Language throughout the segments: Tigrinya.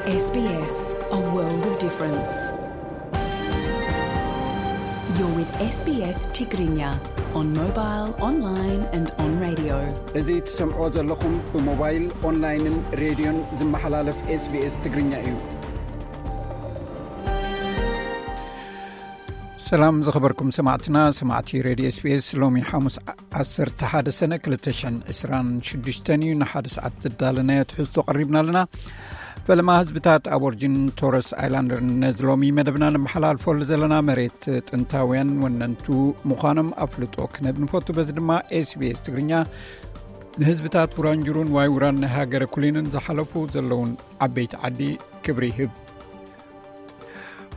S B S, a world of difference. You're with S B S Tigrinya on mobile, online and on radio. እዚ ትሰምዖ ዘለኹም ብሞባይል፣ ኦንላይንን ሬድዮን ዝመሓላለፍ S B S ትግርኛ እዩ። ሰላም ዝኸበርኩም ሰማዕትና፣ ሰማዕቲ ሬድዮ S B S፣ ሎሚ ሓሙስ ዓሰርተ ሓደ ሰነ ክልተ ሽሕን ዕስራን ሽዱሽተን እዩ። ንሓደ ሰዓት ዝዳለናዮ ትሕዝቶ ቀሪብና ኣለና። ፈለማ ህዝብታት ኣቦርጅን ቶረስ ኣይላንደር ነዚ ሎሚ መደብና ነመሓላልፈሉ ዘለና መሬት ጥንታውያን ወነንቱ ምዃኖም ኣፍልጦ ክነብ ንፈቱ። በዚ ድማ S B S ትግርኛ ንህዝብታት ውራንጅሩን ዋይ ውራን ናይ ሃገረ ኩሊንን ዝሓለፉ ዘለውን ዓበይቲ ዓዲ ክብሪ ይህብ።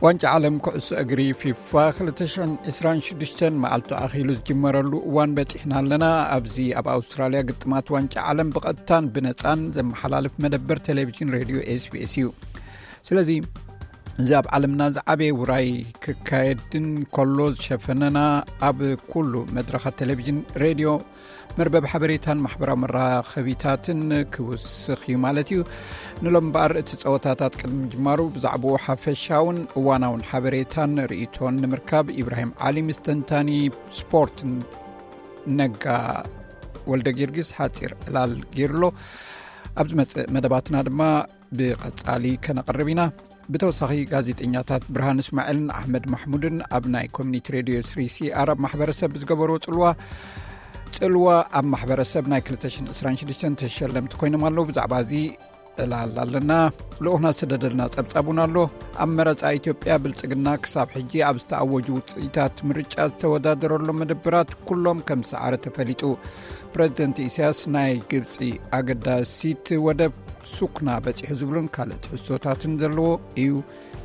ዋንጫ ዓለም ኩዕሶ እግሪ ፊፋ ክልተ ሽሕን ዕስራን ሽዱሽተን መዓልቱ ኣኺሉ ዝጅመረሉ እዋን በጺሕና ኣለና። ኣብዚ ኣብ ኣውስትራልያ ግጥማት ዋንጫ ዓለም ብቐጥታን ብነጻን ዘመሓላልፍ መደበር ቴሌቪዥን ሬድዮ S B S እዩ። ስለዚ እዚ ኣብ ዓለምና ዝዓበየ ውራይ ክካየድን ከሎ ዝሸፈነና ኣብ ኩሉ መድረኻት ቴሌቪዥን ሬድዮ መርበብ ሓበሬታን ማሕበራዊ መራኸቢታትን ክውስኽ እዩ ማለት እዩ። ንሎም እምበኣር እቲ ጸወታታት ቅድሚ ምጅማሩ ብዛዕባኡ ሓፈሻውን እዋናውን ሓበሬታን ርእይቶን ንምርካብ ኢብራሂም ዓሊ ምስ ተንታኒ ስፖርት ነጋ ወልደ ጊዮርጊስ ሓጺር ዕላል ገይሩሎ። ኣብ ዝመጽእ መደባትና ድማ ብቐጻሊ ከነቕርብ ኢና። ብተወሳኺ ጋዜጠኛታት ብርሃን እስማኤልን ኣሕመድ ማሕሙድን ኣብ ናይ ኮሚኒቲ ሬድዮ ስሪ ሲ ኣር ኣብ ማሕበረሰብ ብዝገበርዎ ጽልዋ ጽልዋ ኣብ ማሕበረሰብ ናይ ክልተ ሽሕን ዕስራን ሽዱሽተን ተሸለምቲ ኮይኖም ኣለዉ። ብዛዕባ እዚ ዕላል ኣለና። ልኡኽና ዝሰደደልና ጸብጻብ እውን ኣሎ። ኣብ መረጻ ኢትዮጵያ ብልጽግና ክሳብ ሕጂ ኣብ ዝተኣወጁ ውጽኢታት ምርጫ ዝተወዳደረሎም መደብራት ኩሎም ከም ዝሰዓረ ተፈሊጡ። ፕረዚደንት ኢሳያስ ናይ ግብጺ ኣገዳሲት ወደብ ሱክና በጺሑ ዝብሉን ካልእ ትሕዝቶታትን ዘለዎ እዩ።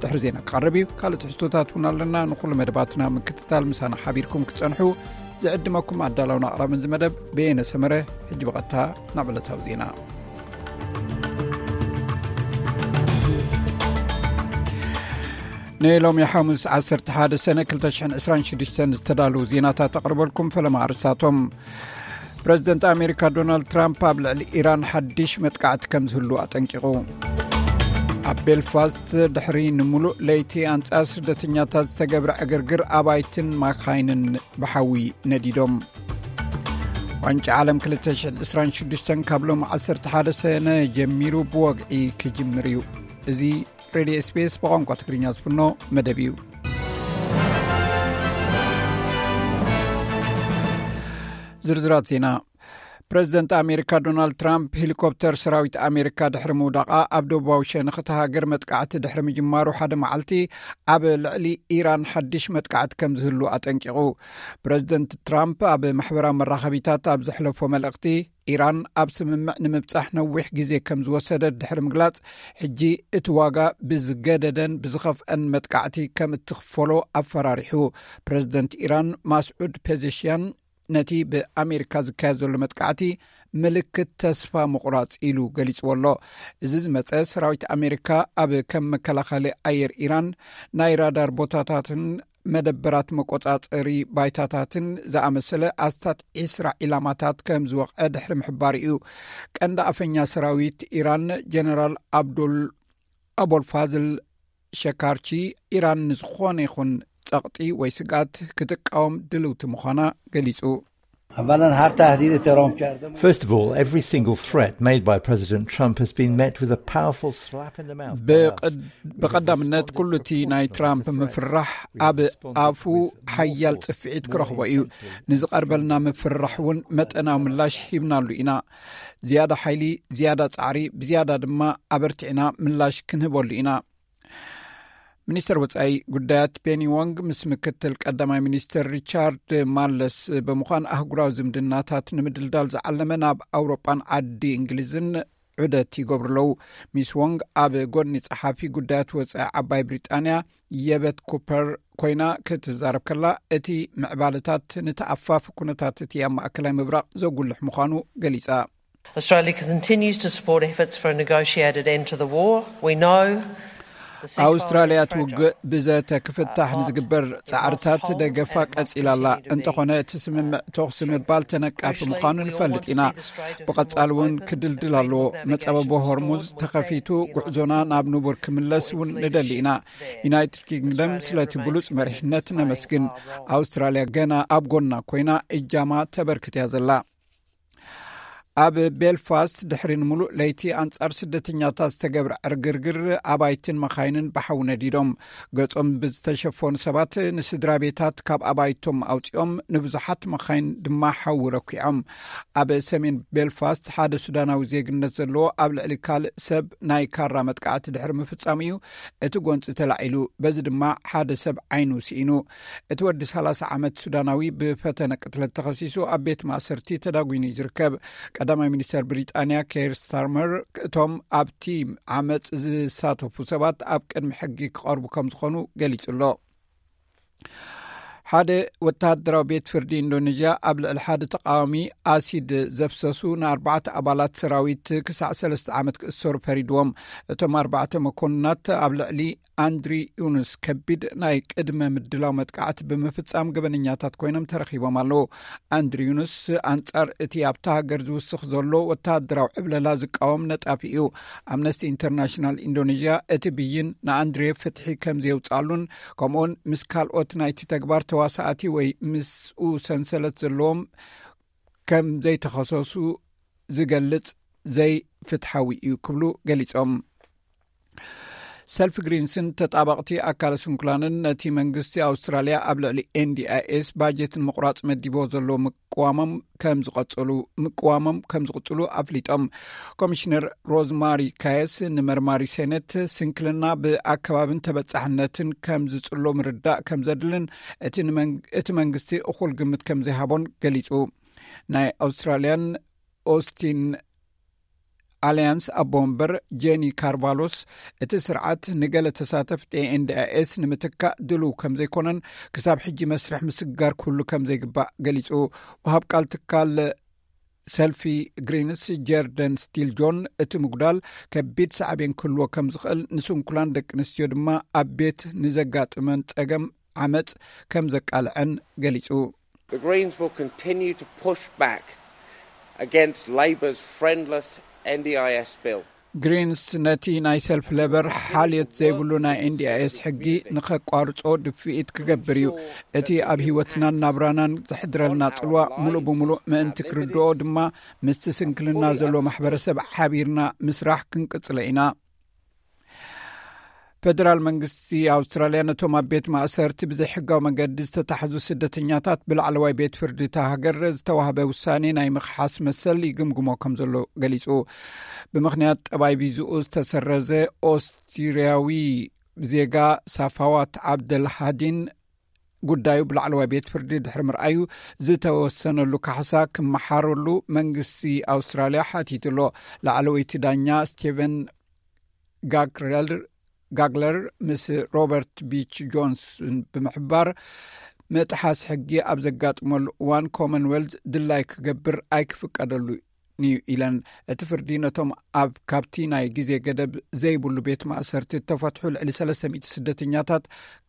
ድሕሪ ዜና ክቐርብ እዩ። ካልእ ትሕዝቶታት እውን ኣለና። ንኹሉ መደባትና ምክትታል ምሳና ሓቢርኩም ክትጸንሑ ዝዕድመኩም ኣዳላውን ኣቕራብን እዚ መደብ በየነ ሰመረ። ሕጂ ብቐጥታ ናብ ዕለታዊ ዜና። ንሎሚ ሓሙስ ዓሰርተ ሓደ ሰነ ክልተ ሽሕን ዕስራን ሽዱሽተን ዝተዳለዉ ዜናታት ኣቕርበልኩም። ፈለማ ኣርእስታቶም። ፕረዚደንት ኣሜሪካ ዶናልድ ትራምፕ ኣብ ልዕሊ ኢራን ሓድሽ መጥቃዕቲ ከም ዝህሉ ኣጠንቂቑ። ኣብ ቤልፋስት ድሕሪ ንምሉእ ለይቲ ኣንጻር ስደተኛታት ዝተገብረ ዕግርግር ኣባይትን ማካይንን ብሓዊ ነዲዶም። ዋንጫ ዓለም ክልተ ሽሕን ዕስራን ሽዱሽተን ካብ ሎም ዓሰርተ ሓደ ሰነ ጀሚሩ ብወግዒ ክጅምር እዩ። እዚ ሬድዮ S B S ብቋንቋ ትግርኛ ዝፍኖ መደብ እዩ። ዝርዝራት ዜና። ፕረዚደንት ኣሜሪካ ዶናልድ ትራምፕ ሄሊኮፕተር ሰራዊት ኣሜሪካ ድሕሪ ምውዳቓ ኣብ ደቡባዊ ሸነኽ እታ ሃገር መጥቃዕቲ ድሕሪ ምጅማሩ ሓደ መዓልቲ ኣብ ልዕሊ ኢራን ሓድሽ መጥቃዕቲ ከም ዝህሉ ኣጠንቂቑ። ፕረዚደንት ትራምፕ ኣብ ማሕበራዊ መራኸቢታት ኣብ ዘሕለፎ መልእኽቲ፣ ኢራን ኣብ ስምምዕ ንምብጻሕ ነዊሕ ግዜ ከም ዝወሰደት ድሕሪ ምግላጽ፣ ሕጂ እቲ ዋጋ ብዝገደደን ብዝኸፍአን መጥቃዕቲ ከም እትኽፈሎ ኣፈራሪሑ። ፕረዚደንት ኢራን ማስዑድ ፔዜሽያን ነቲ ብኣሜሪካ ዝካየድ ዘሎ መጥቃዕቲ ምልክት ተስፋ ምቑራጽ ኢሉ ገሊጽዎ ኣሎ። እዚ ዝመጸ ሰራዊት ኣሜሪካ ኣብ ከም መከላኸሊ ኣየር ኢራን፣ ናይ ራዳር ቦታታትን መደበራት መቆጻጸሪ ባይታታትን ዝኣመሰለ ኣስታት ዒስራ ዒላማታት ከም ዝወቕዐ ድሕሪ ምሕባሩ እዩ። ቀንዲ ኣፈኛ ሰራዊት ኢራን ጀነራል ኣብዱል ኣቦልፋዝል ሸካርቺ፣ ኢራን ንዝኾነ ይኹን ጸቕጢ ወይ ስግኣት ክትቃወም ድልውቲ ምዃና ገሊጹ። First of all, every single threat made by President Trump has been met with a powerful slap in the mouth. ብቐዳምነት ኩሉ እቲ ናይ ትራምፕ ምፍራሕ ኣብ ኣፉ ሓያል ጽፍዒት ክረኽቦ እዩ። ንዝቐርበልና ምፍራሕ እውን መጠናዊ ምላሽ ሂብናሉ ኢና። ዝያዳ ሓይሊ፣ ዝያዳ ጻዕሪ፣ ብዝያዳ ድማ ኣበርቲዕና ምላሽ ክንህበሉ ኢና። ሚኒስተር ወጻኢ ጉዳያት ፔኒ ዎንግ ምስ ምክትል ቀዳማይ ሚኒስተር ሪቻርድ ማለስ ብምዃን ኣህጉራዊ ዝምድናታት ንምድልዳል ዝዓለመ ናብ ኣውሮጳን ዓዲ እንግሊዝን ዑደት ይገብሩ ኣለዉ። ሚስ ዎንግ ኣብ ጎኒ ጸሓፊ ጉዳያት ወጻኢ ዓባይ ብሪጣንያ የበት ኩፐር ኮይና ክትዛረብ ከላ፣ እቲ ምዕባለታት ንተኣፋፊ ኩነታት እቲ ኣብ ማእከላይ ምብራቕ ዘጉልሕ ምዃኑ ገሊጻ። Australia continues to support efforts for a negotiated end to the war. We know ኣውስትራልያ እቲ ውግእ ብዘተ ክፍታሕ ንዝግበር ጻዕርታት ደገፋ ቀጺላ ኣላ። እንተኾነ እቲ ስምምዕ ተኹሲ ምባል ተነቃፊ ምዃኑ ንፈልጥ ኢና። ብቐጻሊ እውን ክድልድል ኣለዎ። መጻበቦ ሆርሙዝ ተኸፊቱ፣ ጉዕዞና ናብ ንቡር ክምለስ እውን ንደሊ ኢና። ዩናይትድ ኪንግደም ስለቲ ብሉጽ መሪሕነት ነመስግን። ኣውስትራልያ ገና ኣብ ጎና ኮይና እጃማ ተበርክት እያ ዘላ። ኣብ ቤልፋስት ድሕሪ ንምሉእ ለይቲ ኣንጻር ስደተኛታት ዝተገብረ ዕርግርግር፣ ኣባይትን መኻይንን ብሓዊ ነዲዶም። ገጾም ብዝተሸፈኑ ሰባት ንስድራ ቤታት ካብ ኣባይቶም ኣውጺኦም፣ ንብዙሓት መኻይን ድማ ሓዊ ረኲዖም። ኣብ ሰሜን ቤልፋስት ሓደ ሱዳናዊ ዜግነት ዘለዎ ኣብ ልዕሊ ካልእ ሰብ ናይ ካራ መጥቃዕቲ ድሕሪ ምፍጻሙ እዩ እቲ ጎንጺ ተላዒሉ። በዚ ድማ ሓደ ሰብ ዓይኑ ስኢኑ። እቲ ወዲ ሰላሳ ዓመት ሱዳናዊ ብፈተነ ቅትለት ተኸሲሱ ኣብ ቤት ማእሰርቲ ተዳጒኑ እዩ ዝርከብ። ቀዳማይ ሚኒስተር ብሪጣንያ ኬር ስታርመር እቶም ኣብቲ ዓመጽ ዝሳተፉ ሰባት ኣብ ቅድሚ ሕጊ ክቐርቡ ከም ዝኾኑ ገሊጹ ኣሎ። ሓደ ወተሃደራዊ ቤት ፍርዲ ኢንዶኔዥያ ኣብ ልዕሊ ሓደ ተቃዋሚ ኣሲድ ዘፍሰሱ ንኣርባዕተ ኣባላት ሰራዊት ክሳዕ ሰለስተ ዓመት ክእሰሩ ፈሪድዎም። እቶም ኣርባዕተ መኮንናት ኣብ ልዕሊ ኣንድሪ ዩኑስ ከቢድ ናይ ቅድመ ምድላው መጥቃዕቲ ብምፍጻም ገበነኛታት ኮይኖም ተረኺቦም ኣለዉ። ኣንድሪ ዩኑስ ኣንጻር እቲ ኣብታ ሃገር ዝውስኽ ዘሎ ወተሃደራዊ ዕብለላ ዝቃወም ነጣፊ እዩ። ኣምነስቲ ኢንተርናሽናል ኢንዶኔዥያ እቲ ብይን ንኣንድሬ ፍትሒ ከም ዘየውጻሉን፣ ከምኡውን ምስ ካልኦት ናይቲ ተግባር ተዋሳእቲ ወይ ምስኡ ሰንሰለት ዘለዎም ከም ዘይተኸሰሱ ዝገልጽ ዘይፍትሓዊ እዩ ክብሉ ገሊጾም። ሰልፊ ግሪንስን ተጣበቕቲ ኣካለ ስንኩላንን ነቲ መንግስቲ ኣውስትራልያ ኣብ ልዕሊ ኤንዲኣይኤስ ባጀት ንምቑራጽ መዲቦ ዘሎ ምቅዋሞም ከም ዝቐጽሉ፣ ምቅዋሞም ከም ዝቕጽሉ ኣፍሊጦም። ኮሚሽነር ሮዝማሪ ካየስ ንመርማሪ ሴኔት፣ ስንክልና ብኣከባብን ተበጻሕነትን ከም ዝጽሎ ምርዳእ ከም ዘድልን እቲ ንመን-፣ እቲ መንግስቲ እኹል ግምት ከም ዘይሃቦን ገሊጹ። ናይ ኣውስትራልያን ኦስቲን ኣልያንስ ኣቦ ወንበር ጄኒ ካርቫሎስ፣ እቲ ስርዓት ንገለ ተሳተፍቲ ኤንዲኣይኤስ ንምትካእ ድሉው ከም ዘይኮነን፣ ክሳብ ሕጂ መስርሕ ምስግጋር ክህሉ ከም ዘይግባእ ገሊጹ። ወሃብ ቃል ትካል ሰልፊ ግሪንስ ጀርደን ስቲል ጆን፣ እቲ ምጉዳል ከቢድ ሳዕቤን ክህልዎ ከም ዝኽእል፣ ንስንኩላን ደቂ ኣንስትዮ ድማ ኣብ ቤት ንዘጋጥመን ጸገም ዓመጽ ከም ዘቃልዐን ገሊጹ። The Greens will continue to push back against Labour's friendless N D I S bill. ግሪንስ ነቲ ናይ ሰልፊ ሌበር ሓልዮት ዘይብሉ ናይ ኤንዲኣይኤስ ሕጊ ንኸቋርጾ ድፍኢት ክገብር እዩ። እቲ ኣብ ህይወትናን ናብራናን ዘሕድረልና ጽልዋ ምሉእ ብምሉእ ምእንቲ ክርድኦ ድማ፣ ምስቲ ስንክልና ዘሎ ማሕበረሰብ ሓቢርና ምስራሕ ክንቅጽሎ ኢና። ፈደራል መንግስቲ ኣውስትራልያ ነቶም ኣብ ቤት ማእሰርቲ ብዘይሕጋዊ መገዲ ዝተታሕዙ ስደተኛታት ብላዕለዋይ ቤት ፍርዲ እታ ሃገር ዝተዋህበ ውሳኔ ናይ ምኽሓስ መሰል ይግምግሞ ከም ዘሎ ገሊጹ። ብምኽንያት ጠባይ ቪዝኡ ዝተሰረዘ ኦስትሪያዊ ዜጋ ሳፋዋት ዓብደልሃዲን ጉዳዩ ብላዕለዋይ ቤት ፍርዲ ድሕሪ ምርኣዩ፣ ዝተወሰነሉ ካሕሳ ክመሓረሉ መንግስቲ ኣውስትራልያ ሓቲቱ ኣሎ። ላዕለወይቲ ዳኛ ስቴቨን ጋግረል-፣ ጋግለር ምስ ሮበርት ቢች ጆንስን ብምሕባር፣ ምጥሓስ ሕጊ ኣብ ዘጋጥመሉ እዋን ኮመንዌልዝ ድላይ ክገብር ኣይክፍቀደሉን እዩ ኢለን። እቲ ፍርዲ ነቶም ኣብ ካብቲ ናይ ግዜ ገደብ ዘይብሉ ቤት ማእሰርቲ እተፈትሑ ልዕሊ ሰለስተ ሚእቲ ስደተኛታት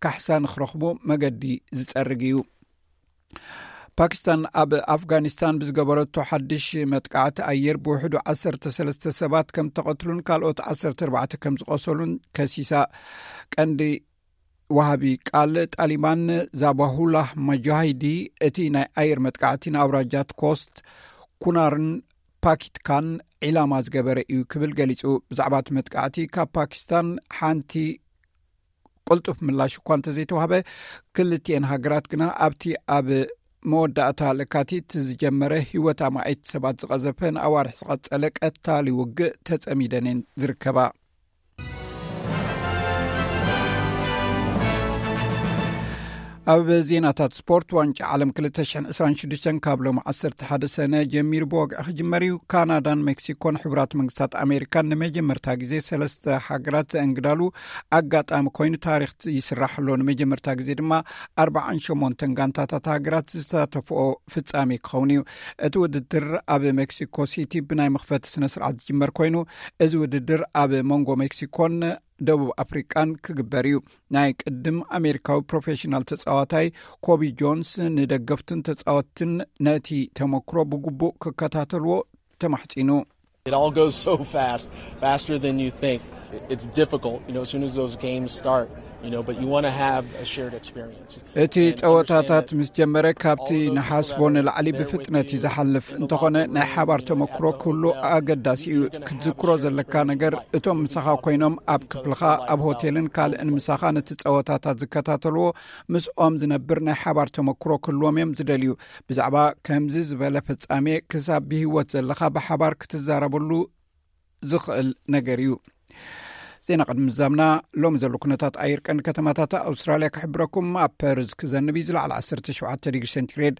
ካሕሳ ንክረኽቡ መገዲ ዝጸርግ እዩ። ፓኪስታን ኣብ ኣፍጋኒስታን ብዝገበረቶ ሓድሽ መጥቃዕቲ ኣየር ብውሕዱ ዓሰርተ ሰለስተ ሰባት ከም ተቐትሉን ካልኦት ዓሰርተ ኣርባዕተ ከም ዝቖሰሉን ከሲሳ። ቀንዲ ወሃቢ ቃል ጣሊባን ዛባሁላህ ማጃሂዲ፣ እቲ ናይ ኣየር መጥቃዕቲ ንኣውራጃት ኮስት፣ ኩናርን ፓኪትካን ዒላማ ዝገበረ እዩ ክብል ገሊጹ። ብዛዕባ እቲ መጥቃዕቲ ካብ ፓኪስታን ሓንቲ ቅልጡፍ ምላሽ እኳ እንተዘይተዋህበ፣ ክልቲኤን ሃገራት ግና ኣብቲ ኣብ መወዳእታ ለካቲት ዝጀመረ ህይወት ኣማኢት ሰባት ዝቐዘፈ ንኣዋርሕ ዝቐጸለ ቀታሊ ውግእ ተጸሚደን እየን ዝርከባ። ኣብ ዜናታት ስፖርት፣ ዋንጫ ዓለም ክልተ ሽሕን ዕስራን ሽዱሽተን ካብ ሎም ዓሰርተ ሓደ ሰነ ጀሚሩ ብወግዒ ክጅመር እዩ። ካናዳን ሜክሲኮን ሕቡራት መንግስታት ኣሜሪካን ንመጀመርታ ግዜ ሰለስተ ሃገራት ዘእንግዳሉ ኣጋጣሚ ኮይኑ ታሪክ ይስራሕ ኣሎ። ንመጀመርታ ግዜ ድማ ኣርባዓን ሸሞንተን ጋንታታት ሃገራት ዝሳተፍኦ ፍጻሜ ክኸውን እዩ። እቲ ውድድር ኣብ ሜክሲኮ ሲቲ ብናይ መኽፈቲ ስነ ስርዓት ዝጅመር ኮይኑ፣ እዚ ውድድር ኣብ መንጎ ሜክሲኮን ደቡብ ኣፍሪቃን ክግበር እዩ። ናይ ቅድም ኣሜሪካዊ ፕሮፌሽናል ተጻዋታይ ኮቢ ጆንስ ንደገፍትን ተጻወትን ነቲ ተመክሮ ብግቡእ ክከታተልዎ ተማሕጺኑ። It all goes so fast, faster than you think. It's difficult, you know, as soon as those games start, you know, but you want to have a shared experience. እቲ ጸወታታት ምስ ጀመረ ካብቲ ንሓስቦ ንላዕሊ ብፍጥነት እዩ ዝሓልፍ። እንተኾነ ናይ ሓባር ተመክሮ ክህሉ ኣገዳሲ እዩ። ክትዝክሮ ዘለካ ነገር፣ እቶም ምሳኻ ኮይኖም ኣብ ክፍልኻ፣ ኣብ ሆቴልን ካልእን ምሳኻ ነቲ ጸወታታት ዝከታተልዎ፣ ምስኦም ዝነብር ናይ ሓባር ተመክሮ ክህልዎም እዮም ዝደልዩ። ብዛዕባ ከምዚ ዝበለ ፍጻሜ ክሳብ ብህይወት ዘለኻ ብሓባር ክትዛረበሉ ዝኽእል ነገር እዩ። ዜና ቅድሚ ምዛምና፣ ሎሚ ዘሎ ኩነታት ኣየር ቀንዲ ከተማታት ኣውስትራልያ ክሕብረኩም። ኣብ ፐርዝ ክዘንብ እዩ፣ ዝለዓለ ዓሰርተ ሸውዓተ ዲግሪ ሴንቲግሬድ።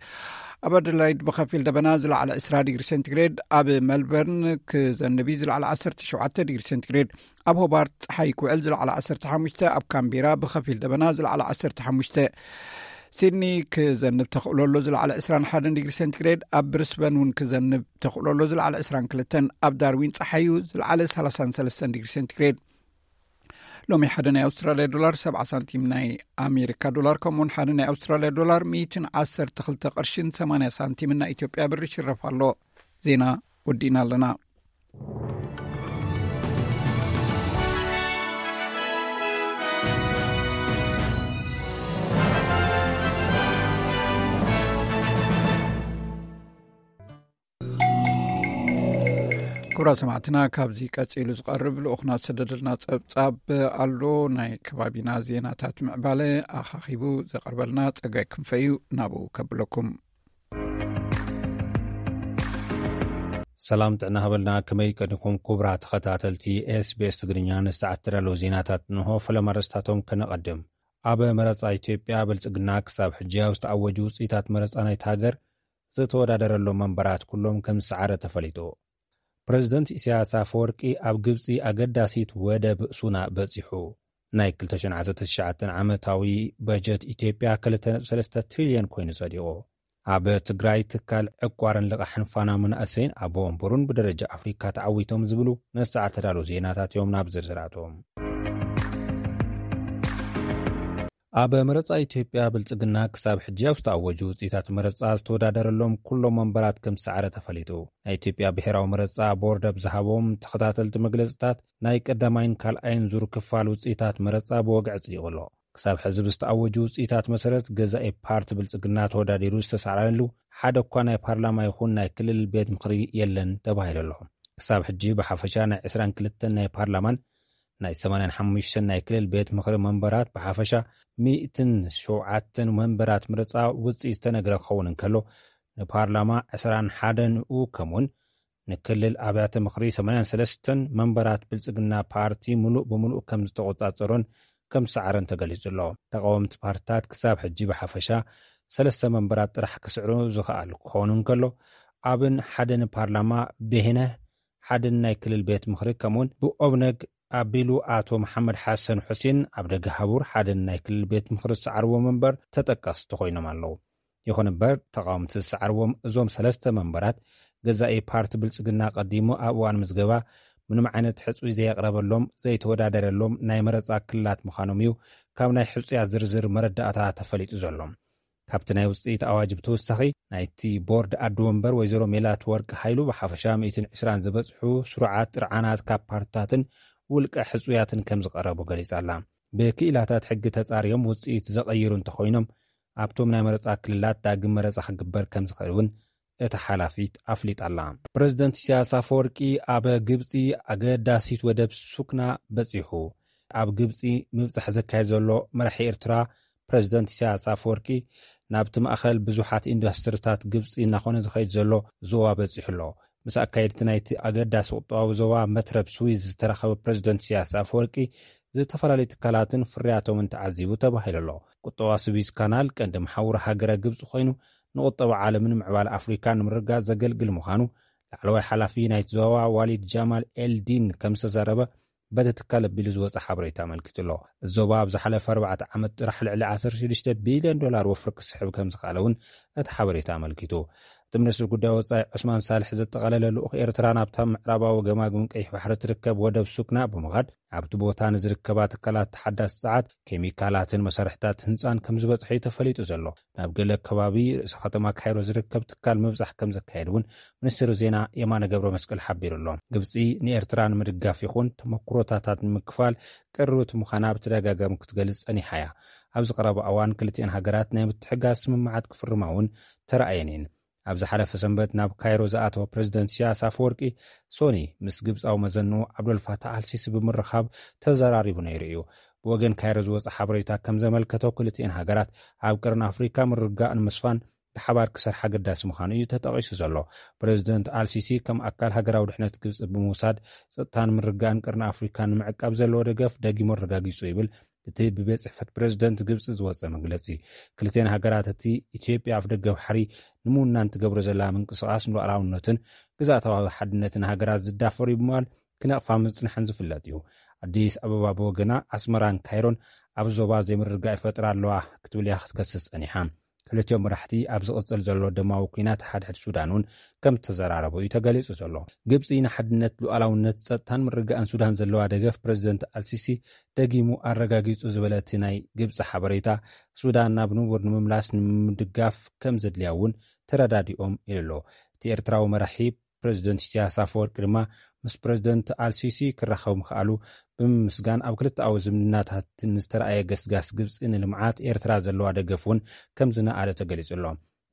ኣብ ኣደላይድ ብኸፊል ደበና፣ ዝለዓለ ዕስራ ዲግሪ ሴንቲግሬድ። ኣብ መልበርን ክዘንብ እዩ፣ ዝለዓለ ዓሰርተ ሸውዓተ ዲግሪ ሴንቲግሬድ። ኣብ ሆባርት ጸሓይ ክውዕል፣ ዝለዓለ ዓሰርተ ሓሙሽተ። ኣብ ካምቤራ ብኸፊል ደበና፣ ዝለዓለ ዓሰርተ ሓሙሽተ። ሲድኒ ክዘንብ ተኽእሎ ኣሎ፣ ዝለዓለ ዕስራን ሓደን ዲግሪ ሴንቲግሬድ። ኣብ ብሪስበን እውን ክዘንብ ተኽእሎ ኣሎ፣ ዝለዓለ ዕስራን ክልተን። ኣብ ዳርዊን ጸሓዩ፣ ዝለዓለ ሰላሳን ሰለስተን ዲግሪ ሴንቲግሬድ። ሎሚ ሓደ ናይ ኣውስትራልያ ዶላር ሰብዓ ሳንቲም ናይ ኣሜሪካ ዶላር፣ ከምኡውን ሓደ ናይ ኣውስትራልያ ዶላር ሚእትን ዓሰርተ ክልተ ቅርሽን ሰማንያ ሳንቲምን ናይ ኢትዮጵያ ብር ይሽረፍ ኣሎ። ዜና ወዲእና ኣለና። ክቡራት ሰማዕትና፣ ካብዚ ቀጺሉ ዝቐርብ ልኡኽና ዝሰደደልና ጸብጻብ ኣሎ። ናይ ከባቢና ዜናታት ምዕባለ ኣኻኺቡ ዘቐርበልና ጸጋይ ክንፈ እዩ። ናብኡ ከብለኩም። ሰላም ጥዕና ሃበልና። ከመይ ቀኒኹም ክቡራት ተኸታተልቲ ኤስቢኤስ ትግርኛ? ንሰዓት ተዳለዉ ዜናታት እንሆ። ፈለማ ርእስታቶም ከነቐድም። ኣብ መረጻ ኢትዮጵያ፣ ብልጽግና ክሳብ ሕጂ ኣብ ዝተኣወጁ ውጽኢታት መረጻ ናይቲ ሃገር ዝተወዳደረሎም መንበራት ኩሎም ከም ዝሰዓረ ተፈሊጡ። ፕረዚደንት ኢሳያስ ኣፈወርቂ ኣብ ግብጺ ኣገዳሲት ወደብ ሱና በጺሑ። ናይ ክልተ ሽሕን ዓሰርተ ትሽዓተን ዓመታዊ በጀት ኢትዮጵያ ክልተ ነጥቢ ሰለስተ ትሪልዮን ኮይኑ ጸዲቑ። ኣብ ትግራይ፣ ትካል ዕቋርን ልቓሕን ፋና መናእሰይን ኣቦ ወንበሩን ብደረጃ ኣፍሪካ ተዓዊቶም ዝብሉ ነሰዓት ተዳለዉ ዜናታት እዮም። ናብ ዝርዝራቶም። ኣብ መረጻ ኢትዮጵያ፣ ብልጽግና ክሳብ ሕጂ ኣብ ዝተኣወጁ ውጽኢታት መረጻ ዝተወዳደረሎም ኩሎም መንበራት ከም ዝሰዓረ ተፈሊጡ። ናይ ኢትዮጵያ ብሔራዊ መረጻ ቦርድ ኣብ ዝሃቦም ተኸታተልቲ መግለጽታት፣ ናይ ቀዳማይን ካልኣይን ዙር ክፋል ውጽኢታት መረጻ ብወግዒ ኣጽዲቑ ኣሎ። ክሳብ ሕዚ ብዝተኣወጁ ውጽኢታት መሰረት፣ ገዛኢ ፓርቲ ብልጽግና ተወዳዲሩ ዝተሳዕረሉ ሓደ እኳ ናይ ፓርላማ ይኹን ናይ ክልል ቤት ምኽሪ የለን ተባሂሉ ኣሎ። ክሳብ ሕጂ ብሓፈሻ ናይ ዕስራን ክልተን ናይ ፓርላማን ናይ ሰማንያን ሓሙሽተን ናይ ክልል ቤት ምኽሪ መንበራት፣ ብሓፈሻ ሚእትን ሸውዓተን መንበራት ምርጻ ውጽኢት ዝተነግረ ክኸውን እንከሎ፣ ንፓርላማ ዕስራን ሓደን ከምኡውን ንክልል ኣብያተ ምኽሪ ሰማንያን ሰለስተን መንበራት ብልጽግና ፓርቲ ምሉእ ብምሉእ ከም ዝተቆጻጸሮን ከም ዝሰዓረን ተገሊጹ ኣሎ። ተቃወምቲ ፓርትታት ክሳብ ሕጂ ብሓፈሻ ሰለስተ መንበራት ጥራሕ ክስዕሩ ዝኸኣሉ ክኸውን እንከሎ፣ ኣብን ሓደን ፓርላማ፣ ብሄነህ ሓደን ናይ ክልል ቤት ምኽሪ፣ ከምኡውን ብኦብነግ ኣቢሉ ኣቶ መሓመድ ሓሰን ሑሴን ኣብ ደገ ሃቡር ሓደን ናይ ክልል ቤት ምኽሪ ዝሰዓርዎ መንበር ተጠቀስቲ ኮይኖም ኣለዉ። ይኹን እምበር፣ ተቃወምቲ ዝሰዓርዎም እዞም ሰለስተ መንበራት፣ ገዛኢ ፓርቲ ብልጽግና ቀዲሙ ኣብ እዋን ምዝገባ ምንም ዓይነት ሕጹይ ዘየቕረበሎም፣ ዘይተወዳደረሎም ናይ መረጻ ክልላት ምዃኖም እዩ ካብ ናይ ሕጹያት ዝርዝር መረዳእታ ተፈሊጡ ዘሎ። ካብቲ ናይ ውጽኢት ኣዋጅ ብተወሳኺ፣ ናይቲ ቦርድ ኣዲ ወንበር ወይዘሮ ሜላት ወርቂ ሃይሉ ብሓፈሻ ሚእትን ዕስራን ዝበጽሑ ስሩዓት ጥርዓናት ካብ ፓርትታትን ውልቀ ሕጹያትን ከም ዝቐረቡ ገሊጻ ኣላ። ብክኢላታት ሕጊ ተጻርዮም ውጽኢት ዘቐይሩ እንተኾይኖም፣ ኣብቶም ናይ መረጻ ክልላት ዳግም መረጻ ክግበር ከም ዝኽእል እውን እታ ሓላፊት ኣፍሊጣ ኣላ። ፕረዚደንት ኢሳያስ ኣፈወርቂ ኣብ ግብጺ ኣገዳሲት ወደብ ሱክና በጺሑ። ኣብ ግብጺ ምብጻሕ ዘካየድ ዘሎ መራሒ ኤርትራ፣ ፕረዚደንት ኢሳያስ ኣፈወርቂ፣ ናብቲ ማእከል ብዙሓት ኢንዱስትሪታት ግብጺ እናኾነ ዝኸይድ ዘሎ ዞባ በጺሑ ኣሎ። ምስ ኣካየድቲ ናይቲ ኣገዳሲ ቁጠባዊ ዞባ መትረብ ስዊዝ ዝተራኸበ ፕረዚደንት ኢሳያስ ኣፈወርቂ፣ ዝተፈላለዩ ትካላትን ፍርያቶምን ተዓዚቡ ተባሂሉ ኣሎ። ቁጠባ ስዊዝ ካናል ቀንዲ መሓውር ሃገረ ግብጺ ኮይኑ፣ ንቁጠባ ዓለምን ምዕባለ ኣፍሪካን ንምርግጋጽ ዘገልግል ምዃኑ ላዕለዋይ ሓላፊ ናይቲ ዞባ ዋሊድ ጃማል ኤልዲን ከም ዝተዛረበ በቲ ትካል ኣቢሉ ዝወጸ ሓበሬታ ኣመልኪቱ ኣሎ። እዚ ዞባ ኣብ ዝሓለፈ ኣርባዕተ ዓመት ጥራሕ ልዕሊ ዓሰርተ ሽዱሽተ ቢልዮን ዶላር ወፍሪ ክስሕብ ከም ዝኸኣለ እውን እቲ ሓበሬታ ኣመልኪቱ። እቲ ሚኒስትሪ ጉዳይ ወጻኢ ዑስማን ሳልሕ ዘጠቓለለ ልኡኽ ኤርትራ ናብታ ምዕራባዊ ገማግም ቀይሕ ባሕሪ ትርከብ ወደብ ሱክና ብምኻድ፣ ኣብቲ ቦታ ንዝርከባ ትካላት ተሓዳሲ ጸዓት፣ ኬሚካላትን መሳርሕታት ህንጻን ከም ዝበጽሐ እዩ ተፈሊጡ ዘሎ። ናብ ገለ ከባቢ ርእሰ ከተማ ካይሮ ዝርከብ ትካል ምብጻሕ ከም ዘካየድ እውን ሚኒስትሪ ዜና የማነ ገብረ መስቀል ሓቢሩ ኣሎ። ግብጺ ንኤርትራ ንምድጋፍ ይኹን ተመክሮታታት ንምክፋል ቅርብቲ ምዃና ብተደጋጋሚ ክትገልጽ ጸኒሓ እያ። ኣብዚ ቀረባ እዋን ክልቲኤን ሃገራት ናይ ምትሕጋዝ ስምምዓት ክፍርማ እውን ተራእየን እየን። ኣብ ዝሓለፈ ሰንበት ናብ ካይሮ ዝኣተወ ፕሬዚደንት ኢሳያስ ኣፈወርቂ፣ ሶኒ ምስ ግብጻዊ መዘንኡ ዓብዶልፋታሕ ኣልሲሲ ብምርኻብ ተዘራሪቡ ነይሩ እዩ። ብወገን ካይሮ ዝወጸ ሓበሬታ ከም ዘመልከቶ፣ ክልቲኤን ሃገራት ኣብ ቀርኒ ኣፍሪካ ምርግጋእ ንምስፋን ብሓባር ክሰርሓ ኣገዳሲ ምዃኑ እዩ ተጠቒሱ ዘሎ። ፕሬዚደንት ኣልሲሲ ከም ኣካል ሃገራዊ ድሕነት ግብጺ ብምውሳድ፣ ጸጥታን ምርግጋእን ቀርኒ ኣፍሪካ ንምዕቃብ ዘለዎ ደገፍ ደጊሙ ኣረጋጊጹ ይብል እቲ ብቤት ጽሕፈት ፕሬዚደንት ግብጺ ዝወጸ መግለጺ። ክልቲኤን ሃገራት፣ እቲ ኢትዮጵያ ኣፍደገ ባሕሪ ንምውናን ትገብሮ ዘላ ምንቅስቓስ ንሉዓላውነትን ግዝኣታዊ ሓድነትን ሃገራት ዝዳፈር እዩ ብምባል ክነቕፋ ምጽንሐን ዝፍለጥ እዩ። ኣዲስ ኣበባ ብወገና፣ ኣስመራን ካይሮን ኣብ ዞባ ዘይምርግጋእ ይፈጥራ ኣለዋ ክትብል እያ ክትከስስ ጸኒሓ። ክልቲኦም መራሕቲ ኣብ ዝቕጽል ዘሎ ደማዊ ኲናት ሓድሕድ ሱዳን እውን ከም ዝተዘራረቡ እዩ ተገሊጹ ዘሎ። ግብጺ ንሓድነት፣ ሉዓላውነት፣ ጸጥታን ምርግጋእን ሱዳን ዘለዋ ደገፍ ፕሬዚደንት ኣልሲሲ ደጊሙ ኣረጋጊጹ ዝበለ እቲ ናይ ግብጺ ሓበሬታ፣ ሱዳን ናብ ንቡር ንምምላስ ንምድጋፍ ከም ዘድልያ እውን ተረዳዲኦም ኢሉ ኣሎ። እቲ ኤርትራዊ መራሒ ፕሬዚደንት ኢሳያስ ኣፈወርቂ ድማ ምስ ፕሬዚደንት ኣልሲሲ ክራኸብ ምኽኣሉ ብምምስጋን፣ ኣብ ክልተኣዊ ዝምድናታት ንዝተረኣየ ገስጋስ ግብጺ ንልምዓት ኤርትራ ዘለዋ ደገፍ እውን ከም ዝነኣደ ተገሊጹ ኣሎ።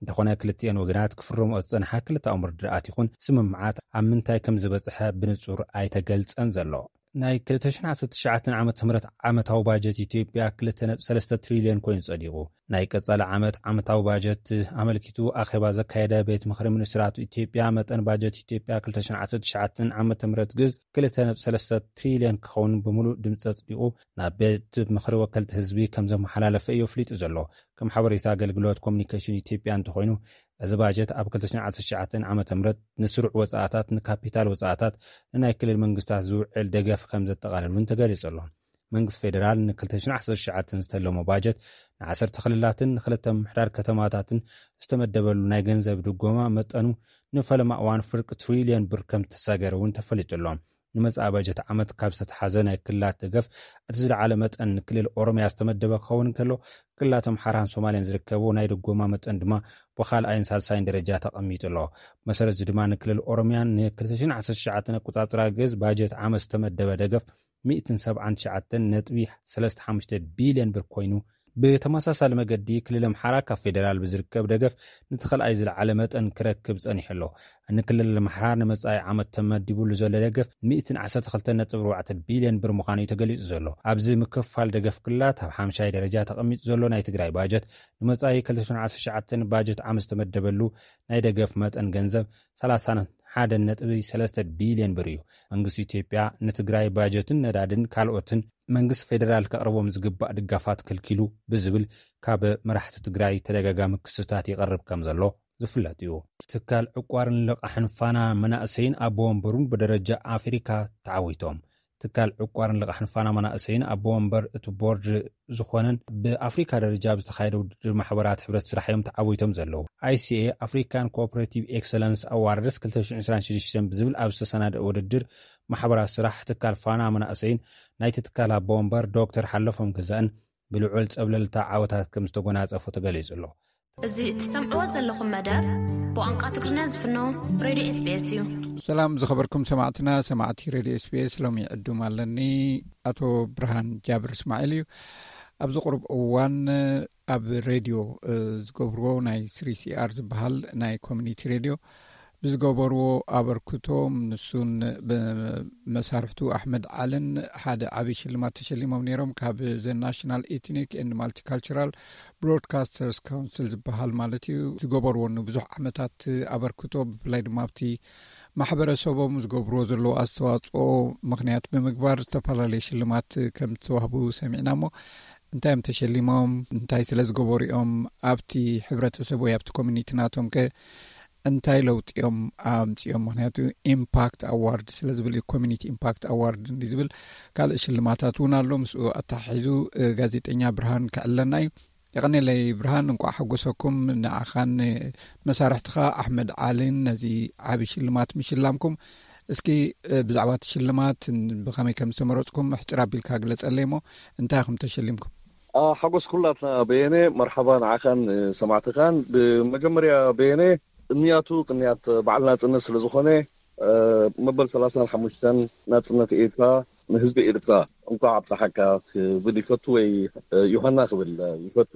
እንተኾነ፣ ክልቲኤን ወገናት ክፍርምኦ ዝጸንሓ ክልተኣዊ ምርድዳኣት ይኹን ስምምዓት ኣብ ምንታይ ከም ዝበጽሐ ብንጹር ኣይተገልጸን ዘሎ። ናይ ክልተ ሽሕን ዓሰርተ ትሽዓተን ዓመተ ምህረት ዓመታዊ ባጀት ኢትዮጵያ ክልተ ነጥቢ ሰለስተ ትሪልዮን ኮይኑ ጸዲቑ። ናይ ቀጻሊ ዓመት ዓመታዊ ባጀት ኣመልኪቱ ኣኼባ ዘካየደ ቤት ምኽሪ ሚኒስትራት ኢትዮጵያ፣ መጠን ባጀት ኢትዮጵያ ክልተ ሽሕን ዓሰርተ ትሽዓተን ዓመተ ምህረት ግዝ ክልተ ነጥቢ ሰለስተ ትሪልዮን ክኸውን ብምሉእ ድምጺ ጸዲቑ ናብ ቤት ምኽሪ ወከልቲ ህዝቢ ከም ዘመሓላለፈ እዩ ኣፍሊጡ ዘሎ። ከም ሓበሬታ ኣገልግሎት ኮሙኒኬሽን ኢትዮጵያ እንተኾይኑ፣ እዚ ባጀት ኣብ ክልተ ሽሕን ዓሰርተ ትሽዓተን ዓመተ ምህረት ንስሩዕ ወጻእታት፣ ንካፒታል ወጻእታት፣ ንናይ ክልል መንግስታት ዝውዕል ደገፍ ከም ዘጠቓልል እውን ተገሊጹ ኣሎ። መንግስቲ ፌደራል ን ክልተ ሽሕን ዓሰርተ ትሽዓተን ዝተለሞ ባጀት ንዓሰርተ ክልላትን ንክልተ ምምሕዳር ከተማታትን ዝተመደበሉ ናይ ገንዘብ ድጎማ መጠኑ ንፈለማ እዋን ፍርቂ ትሪልዮን ብር ከም ዝተሰገረ እውን ተፈሊጡ ኣሎ። ንመጻኢ ባጀት ዓመት ካብ ዝተተሓዘ ናይ ክልላት ደገፍ እቲ ዝለዓለ መጠን ንክልል ኦሮምያ ዝተመደበ ክኸውን እንከሎ፣ ክልላት ኣምሓራን ሶማልን ዝርከቡ ናይ ድጎማ መጠን ድማ ብኻልኣይን ሳልሳይን ደረጃ ተቐሚጡ ኣሎ። መሰረት እዚ ድማ ንክልል ኦሮምያ ን ክልተ ሽሕን ዓሰርተ ትሽዓተን ኣቆጻጽራ ግዝ ባጀት ዓመት ዝተመደበ ደገፍ ሚእትን ሰብዓን ትሽዓተን ነጥቢ ሰለስተ ሓሙሽተ ቢልዮን ብር ኮይኑ፣ ብተመሳሳሊ መገዲ ክልል ኣምሓራ ካብ ፌደራል ብዝርከብ ደገፍ ነቲ ካልኣይ ዝለዓለ መጠን ክረክብ ጸኒሑ ኣሎ። ንክልል ኣምሓራ ንመጻኢ ዓመት ተመዲቡሉ ዘሎ ደገፍ ሚእትን ዓሰርተ ክልተን ነጥቢ ኣርባዕተ ቢልዮን ብር ምዃኑ እዩ ተገሊጹ ዘሎ። ኣብዚ ምክፍፋል ደገፍ ክልላት ኣብ ሓምሻይ ደረጃ ተቐሚጡ ዘሎ ናይ ትግራይ ባጀት፣ ንመጻኢ ክልተ ሽሕን ዓሰርተ ትሽዓተን ባጀት ዓመት ዝተመደበሉ ናይ ደገፍ መጠን ገንዘብ ሰላሳን ሓደን ነጥቢ ሰለስተ ቢልዮን ብር እዩ። መንግስቲ ኢትዮጵያ ንትግራይ ባጀትን ነዳድን ካልኦትን መንግስቲ ፌደራል ከቕርቦም ዝግባእ ድጋፋት ከልኪሉ ብዝብል ካብ መራሕቲ ትግራይ ተደጋጋሚ ክስታት ይቐርብ ከም ዘሎ ዝፍለጥ እዩ። ትካል ዕቋርን ልቓሕን ፋና መናእሰይን ኣቦ ወንበሩን ብደረጃ ኣፍሪካ ተዓዊቶም። ትካል ዕቋርን ልቓሕን ፋና መናእሰይን ኣቦ ወንበር እቲ ቦርድ ዝኾነን ብኣፍሪካ ደረጃ ኣብ ዝተኻየደ ውድድር ማሕበራት ሕብረት ስራሕ እዮም ተዓዊቶም ዘለዉ። ኣይሲኤ ኣፍሪካን ኮኦፐሬቲቭ ኤክሰለንስ ኣዋርድስ ክልተ ሽሕን ዕስራን ሽዱሽተን ብዝብል ኣብ ዝተሰናደአ ውድድር ማሕበራት ስራሕ ትካል ፋና መናእሰይን ናይቲ ትካል ኣቦ ወንበር ዶክተር ሓለፎም ገዛእን ብልዑል ጸብለልታ ዓወታት ከም ዝተጎናጸፉ ተገሊጹ ኣሎ። እዚ ትሰምዕዎ ዘለኹም መደብ ብቋንቋ ትግርኛ ዝፍኖ ሬድዮ ኤስቢኤስ እዩ። ሰላም ዝኸበርኩም ሰማዕትና፣ ሰማዕቲ ሬድዮ ኤስቢኤስ፣ ሎሚ ዕዱም ኣለኒ። ኣቶ ብርሃን ጃብር እስማዒል እዩ። ኣብዚ ቁሩብ እዋን ኣብ ሬድዮ፣ እ፣ ዝገብርዎ ናይ ስሪ ሲ ኣር ዝበሃል ናይ ኮሚኒቲ ሬድዮ ብዝገበርዎ ኣበርክቶ፣ ንሱን ብመሳርሕቱ ኣሕመድ ዓልን ሓደ ዓብዪ ሽልማት ተሸሊሞም ነይሮም። ካብ ዘ ናሽናል ኤትኒክ ኤንድ ማልቲካልቸራል ብሮድካስተርስ ካውንስል ዝበሃል ማለት እዩ። ዝገበርዎ ንብዙሕ ዓመታት ኣበርክቶ፣ ብፍላይ ድማ ኣብቲ ማሕበረሰቦም ዝገብርዎ ዘለዉ ኣስተዋፅኦ ምኽንያት ብምግባር ዝተፈላለየ ሽልማት ከም ዝተዋህቡ ሰሚዕና። እሞ እንታይ እዮም ተሸሊሞም? እንታይ ስለ ዝገበሩ እዮም? ኣብቲ ሕብረተሰብ ወይ ኣብቲ ኮሚኒቲ ናቶም ከ እንታይ ለውጢ እዮም ኣምፂኦም? ምኽንያቱ ኢምፓክት ኣዋርድ ስለ ዝብል እዩ፣ ኮሚኒቲ ኢምፓክት ኣዋርድ እንዲ ዝብል ካልእ ሽልማታት እውን ኣሎ። ምስኡ ኣተሓሒዙ፣ እ፣ ጋዜጠኛ ብርሃን ክዕለና እዩ። የቐኔለይ ብርሃን፣ እንቋዕ ሓጎሰኩም። ንዓኻን መሳርሕትኻ ኣሕመድ ዓሊን ነዚ ዓቢ ሽልማት ምሽላምኩም። እስኪ ብዛዕባ እቲ ሽልማት ብኸመይ ከም ዝተመረጽኩም ሕጽር ኣቢልካ ግለጸለይ እሞ፣ እንታይ ኢኹም ተሸሊምኩም? ሓጎስ ኩላትና በየነ። መርሓባ ንዓኻን ሰማዕትኻን። ብመጀመርያ በየነ፣ ቅንያቱ ቅንያት በዓል ናጽነት ስለ ዝኾነ፣ መበል ሰላሳን ሓሙሽተን ናጽነት ኤርትራ ንህዝቢ ኤርትራ እንኳዕ ኣብፀሓካ ክብል ይፈቱ፣ ወይ ዮሃና ክብል ይፈቱ።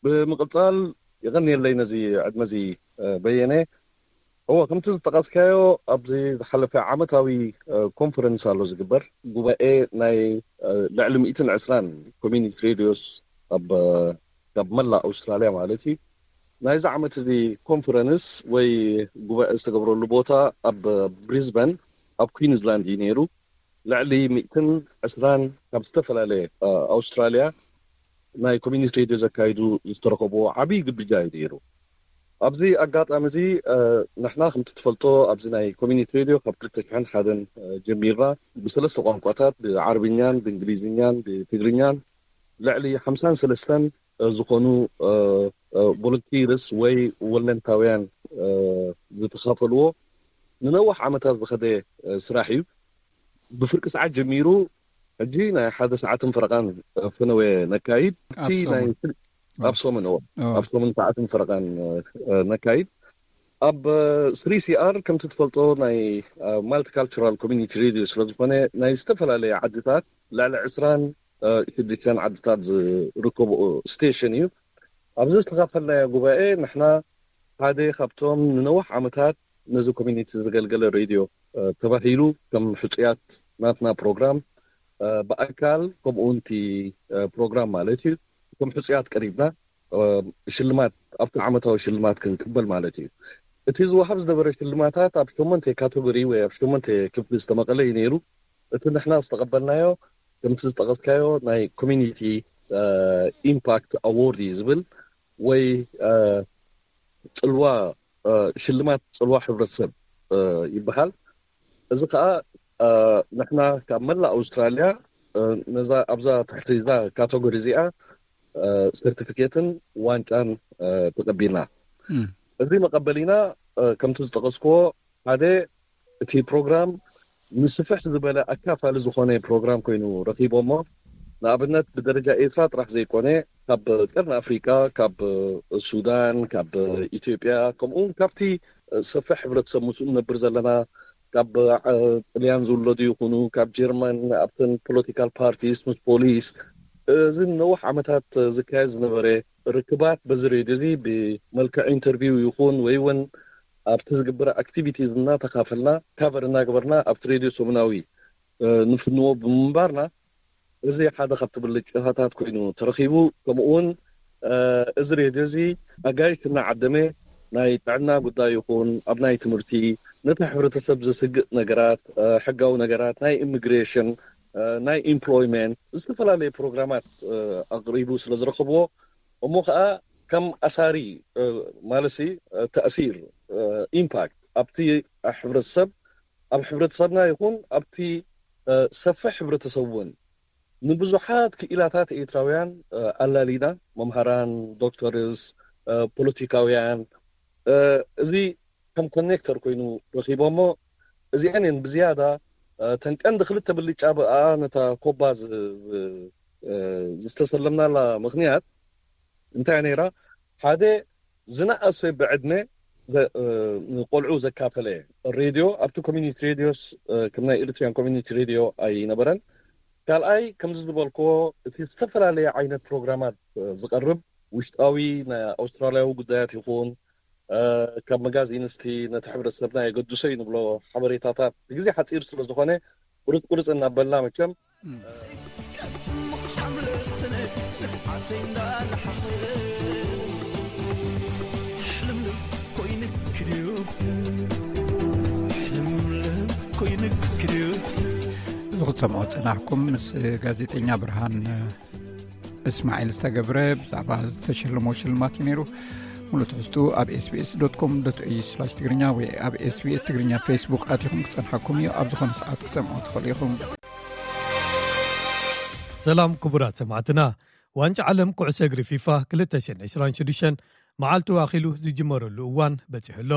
ብምቕፃል፣ የቐንየለይ ነዚ ዕድመ እዚ በየነ። እወ፣ ከምቲ ዝጠቐስካዮ፣ ኣብዚ ዝሓለፈ ዓመታዊ ኮንፈረንስ ኣሎ ዝግበር፣ ጉባኤ ናይ ልዕሊ ሚእትን ዕስራን ኮሚኒቲ ሬድዮስ ኣብ ካብ መላእ ኣውስትራልያ ማለት እዩ። ናይዚ ዓመት እዚ ኮንፈረንስ ወይ ጉባኤ ዝተገብረሉ ቦታ ኣብ ብሪዝበን ኣብ ኩዊንስላንድ እዩ ነይሩ። ልዕሊ ሚእትን ዕስራን ካብ ዝተፈላለየ ኣውስትራልያ ናይ ኮሚኒቲ ሬድዮ ዘካይዱ ዝተረኸብዎ ዓብዪ ግብጃ እዩ ነይሩ። ኣብዚ ኣጋጣሚ እዚ ንሕና ከምቲ ትፈልጦ ኣብዚ ናይ ኮሚኒቲ ሬድዮ ካብ ክልተ ሽሕን ሓደን ጀሚርና ብሰለስተ ቋንቋታት፣ ብዓረብኛን ብእንግሊዝኛን ብትግርኛን ልዕሊ ሓምሳን ሰለስተን ዝኾኑ ቮለንቲርስ ወይ ወለንታውያን ዝተኻፈልዎ ንነዋሕ ዓመታት ዝኸደ ስራሕ እዩ። ብፍርቂ ሰዓት ጀሚሩ ሕጂ ናይ ሓደ ሰዓትን ፈረቓን ፈነወ ነካይድ። እቲ ናይ ኣብ ሶምን፣ ኣብ ሶምን ሰዓትን ፈረቓን ነካይድ። ኣብ ስሪ ሲ ኣር ከምቲ ትፈልጦ ናይ ማልቲካልቸራል ኮሚኒቲ ሬድዮ ስለዝኾነ ናይ ዝተፈላለየ ዓድታት ልዕሊ ዕስራን ሽዱሽተን ዓድታት ዝርከቡ ስቴሽን እዩ። ኣብዚ ዝተኻፈልናዮ ጉባኤ ንሕና ሓደ ካብቶም ንነዋሕ ዓመታት ነዚ ኮሚኒቲ ዘገልገለ ሬድዮ ተባሂሉ ከም ሕፁያት ናትና ፕሮግራም ብኣካል ከምኡ እውን እቲ ፕሮግራም ማለት እዩ ከም ሕፁያት ቀሪብና ሽልማት ኣብቲ ዓመታዊ ሽልማት ክንቅበል ማለት እዩ። እቲ ዝወሃብ ዝነበረ ሽልማታት ኣብ ሸሞንተ ካተጎሪ ወይ ኣብ ሸሞንተ ክፍሊ ዝተመቐለ እዩ ነይሩ። እቲ ንሕና ዝተቐበልናዮ ከምቲ ዝጠቐስካዮ ናይ ኮሚኒቲ ኢምፓክት ኣዎርድ እዩ ዝብል ወይ ፅልዋ ሽልማት ፅልዋ ሕብረተሰብ ይበሃል። እዚ ከዓ ንሕና ካብ መላእ ኣውስትራልያ ነዛ ኣብዛ ትሕቲ እዛ ካተጎሪ እዚኣ ሰርቲፊኬትን ዋንጫን ተቀቢልና። እዚ መቀበሊና ከምቲ ዝጠቀስክዎ ሓደ እቲ ፕሮግራም ንስፍሕ ዝበለ ኣካፋሊ ዝኾነ ፕሮግራም ኮይኑ ረኺቦሞ። ንኣብነት ብደረጃ ኤርትራ ጥራሕ ዘይኮነ ካብ ቀርኒ ኣፍሪቃ፣ ካብ ሱዳን፣ ካብ ኢትዮጵያ ከምኡውን ካብቲ ሰፍሕ ሕብረተሰብ ምስኡ ንነብር ዘለና ካብ ጥልያን ዝውለዱ ይኹኑ ካብ ጀርመን ኣብተን ፖለቲካል ፓርቲስ ምስ ፖሊስ እዚ ነውሕ ዓመታት ዝካየድ ዝነበረ ርክባት በዚ ሬድዮ እዚ ብመልክዕ ኢንተርቪው ይኹን ወይ እውን ኣብቲ ዝግበረ ኣክቲቪቲዝ እናተካፈልና ካቨር እናገበርና ኣብቲ ሬድዮ ሰሙናዊ ንፍንዎ ብምንባርና እዚ ሓደ ካብቲ ብልጭታታት ኮይኑ ተረኺቡ። ከምኡ እውን እዚ ሬድዮ እዚ ኣጋይሽ እናዓደመ ናይ ጥዕና ጉዳይ ይኹን ኣብ ናይ ትምህርቲ ነቲ ሕብረተሰብ ዘስግእ ነገራት ሕጋዊ ነገራት ናይ ኢሚግሬሽን ናይ ኢምፕሎይመንት ዝተፈላለዩ ፕሮግራማት ኣቅሪቡ ስለ ዝረኸብዎ እሞ ከዓ ከም ኣሳሪ ማለሲ ተእሲር ኢምፓክት ኣብቲ ሕብረተሰብ ኣብ ሕብረተሰብና ይኹን ኣብቲ ሰፍሕ ሕብረተሰብ እውን ንብዙሓት ክኢላታት ኤርትራውያን ኣላሊና መምሃራን ዶክተርስ ፖለቲካውያን እዚ ከም ኮኔክተር ኮይኑ ረኺቦሞ። እዚአን እየን ብዝያዳ ተን ቀንዲ ክልተ ብልጫ ብኣ ነታ ኮባ ዝተሰለምናላ ምኽንያት እንታይ ነይራ? ሓደ ዝነኣሰ ብዕድመ ንቆልዑ ዘካፈለ ሬድዮ ኣብቲ ኮሚኒቲ ሬድዮስ ከም ናይ ኤሪትሪያን ኮሚኒቲ ሬድዮ ኣይነበረን። ካልኣይ ከምዚ ዝበልክዎ እቲ ዝተፈላለየ ዓይነት ፕሮግራማት ዝቐርብ ውሽጣዊ ናይ ኣውስትራልያዊ ጉዳያት ይኹን ካብ መጋዚን እስቲ ነቲ ሕብረተሰብና የገድሶ እዩ ንብሎ ሓበሬታታት ብግዜ ሓፂር ስለ ዝኾነ ቁርፅ ቁርፅ እናበልና መቸም እዚ ክትሰምዖ ዝፀናሕኩም ምስ ጋዜጠኛ ብርሃን እስማዒል ዝተገብረ ብዛዕባ ዝተሸለሞ ሽልማት እዩ ነይሩ። ሙሉእ ትሕዝቱ ኣብ ኤስቢኤስ ዶት ኮም ዶት ኤዩ ስላሽ ትግርኛ ወይ ኣብ ኤስቢኤስ ትግርኛ ፌስቡክ ኣቲኹም ክጸንሓኩም እዩ። ኣብ ዝኾነ ሰዓት ክሰምዖ ትኽእሉ ኢኹም። ሰላም ክቡራት ሰማዕትና፣ ዋንጫ ዓለም ኩዕሶ እግሪ ፊፋ ክልተ ሽሕን ዕስራን ሽዱሽተን መዓልቱ ኣኺሉ ዝጅመረሉ እዋን በጺሑ ኣሎ።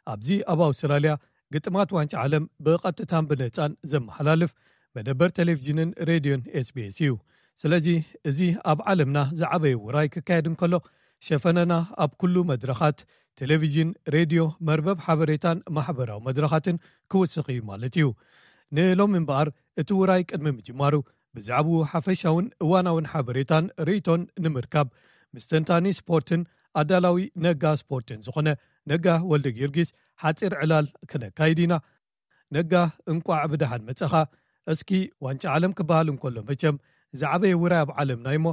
ኣብዚ ኣብ ኣውስትራልያ ግጥማት ዋንጫ ዓለም ብቐጥታን ብነጻን ዘመሓላልፍ መደበር ቴሌቪዥንን ሬድዮን ኤስቢኤስ እዩ። ስለዚ እዚ ኣብ ዓለምና ዝዓበየ ውራይ ክካየድ እንከሎ፣ ሸፈነና ኣብ ኩሉ መድረኻት ቴሌቪዥን፣ ሬድዮ፣ መርበብ ሓበሬታን ማሕበራዊ መድረኻትን ክውስኽ እዩ ማለት እዩ። ንሎሚ እምበኣር እቲ ውራይ ቅድሚ ምጅማሩ ብዛዕባኡ ሓፈሻውን እዋናውን ሓበሬታን ርእይቶን ንምርካብ ምስ ተንታኒ ስፖርትን ኣዳላዊ ነጋ ስፖርትን ዝኾነ ነጋ ወልደ ጊዮርጊስ ሓጺር ዕላል ክነካይድ ኢና። ነጋ፣ እንቋዕ ብደሓን መጸኻ። እስኪ ዋንጫ ዓለም ክበሃል እንከሎ መቸም ዝዓበየ ውራይ ኣብ ዓለምና እዩሞ፣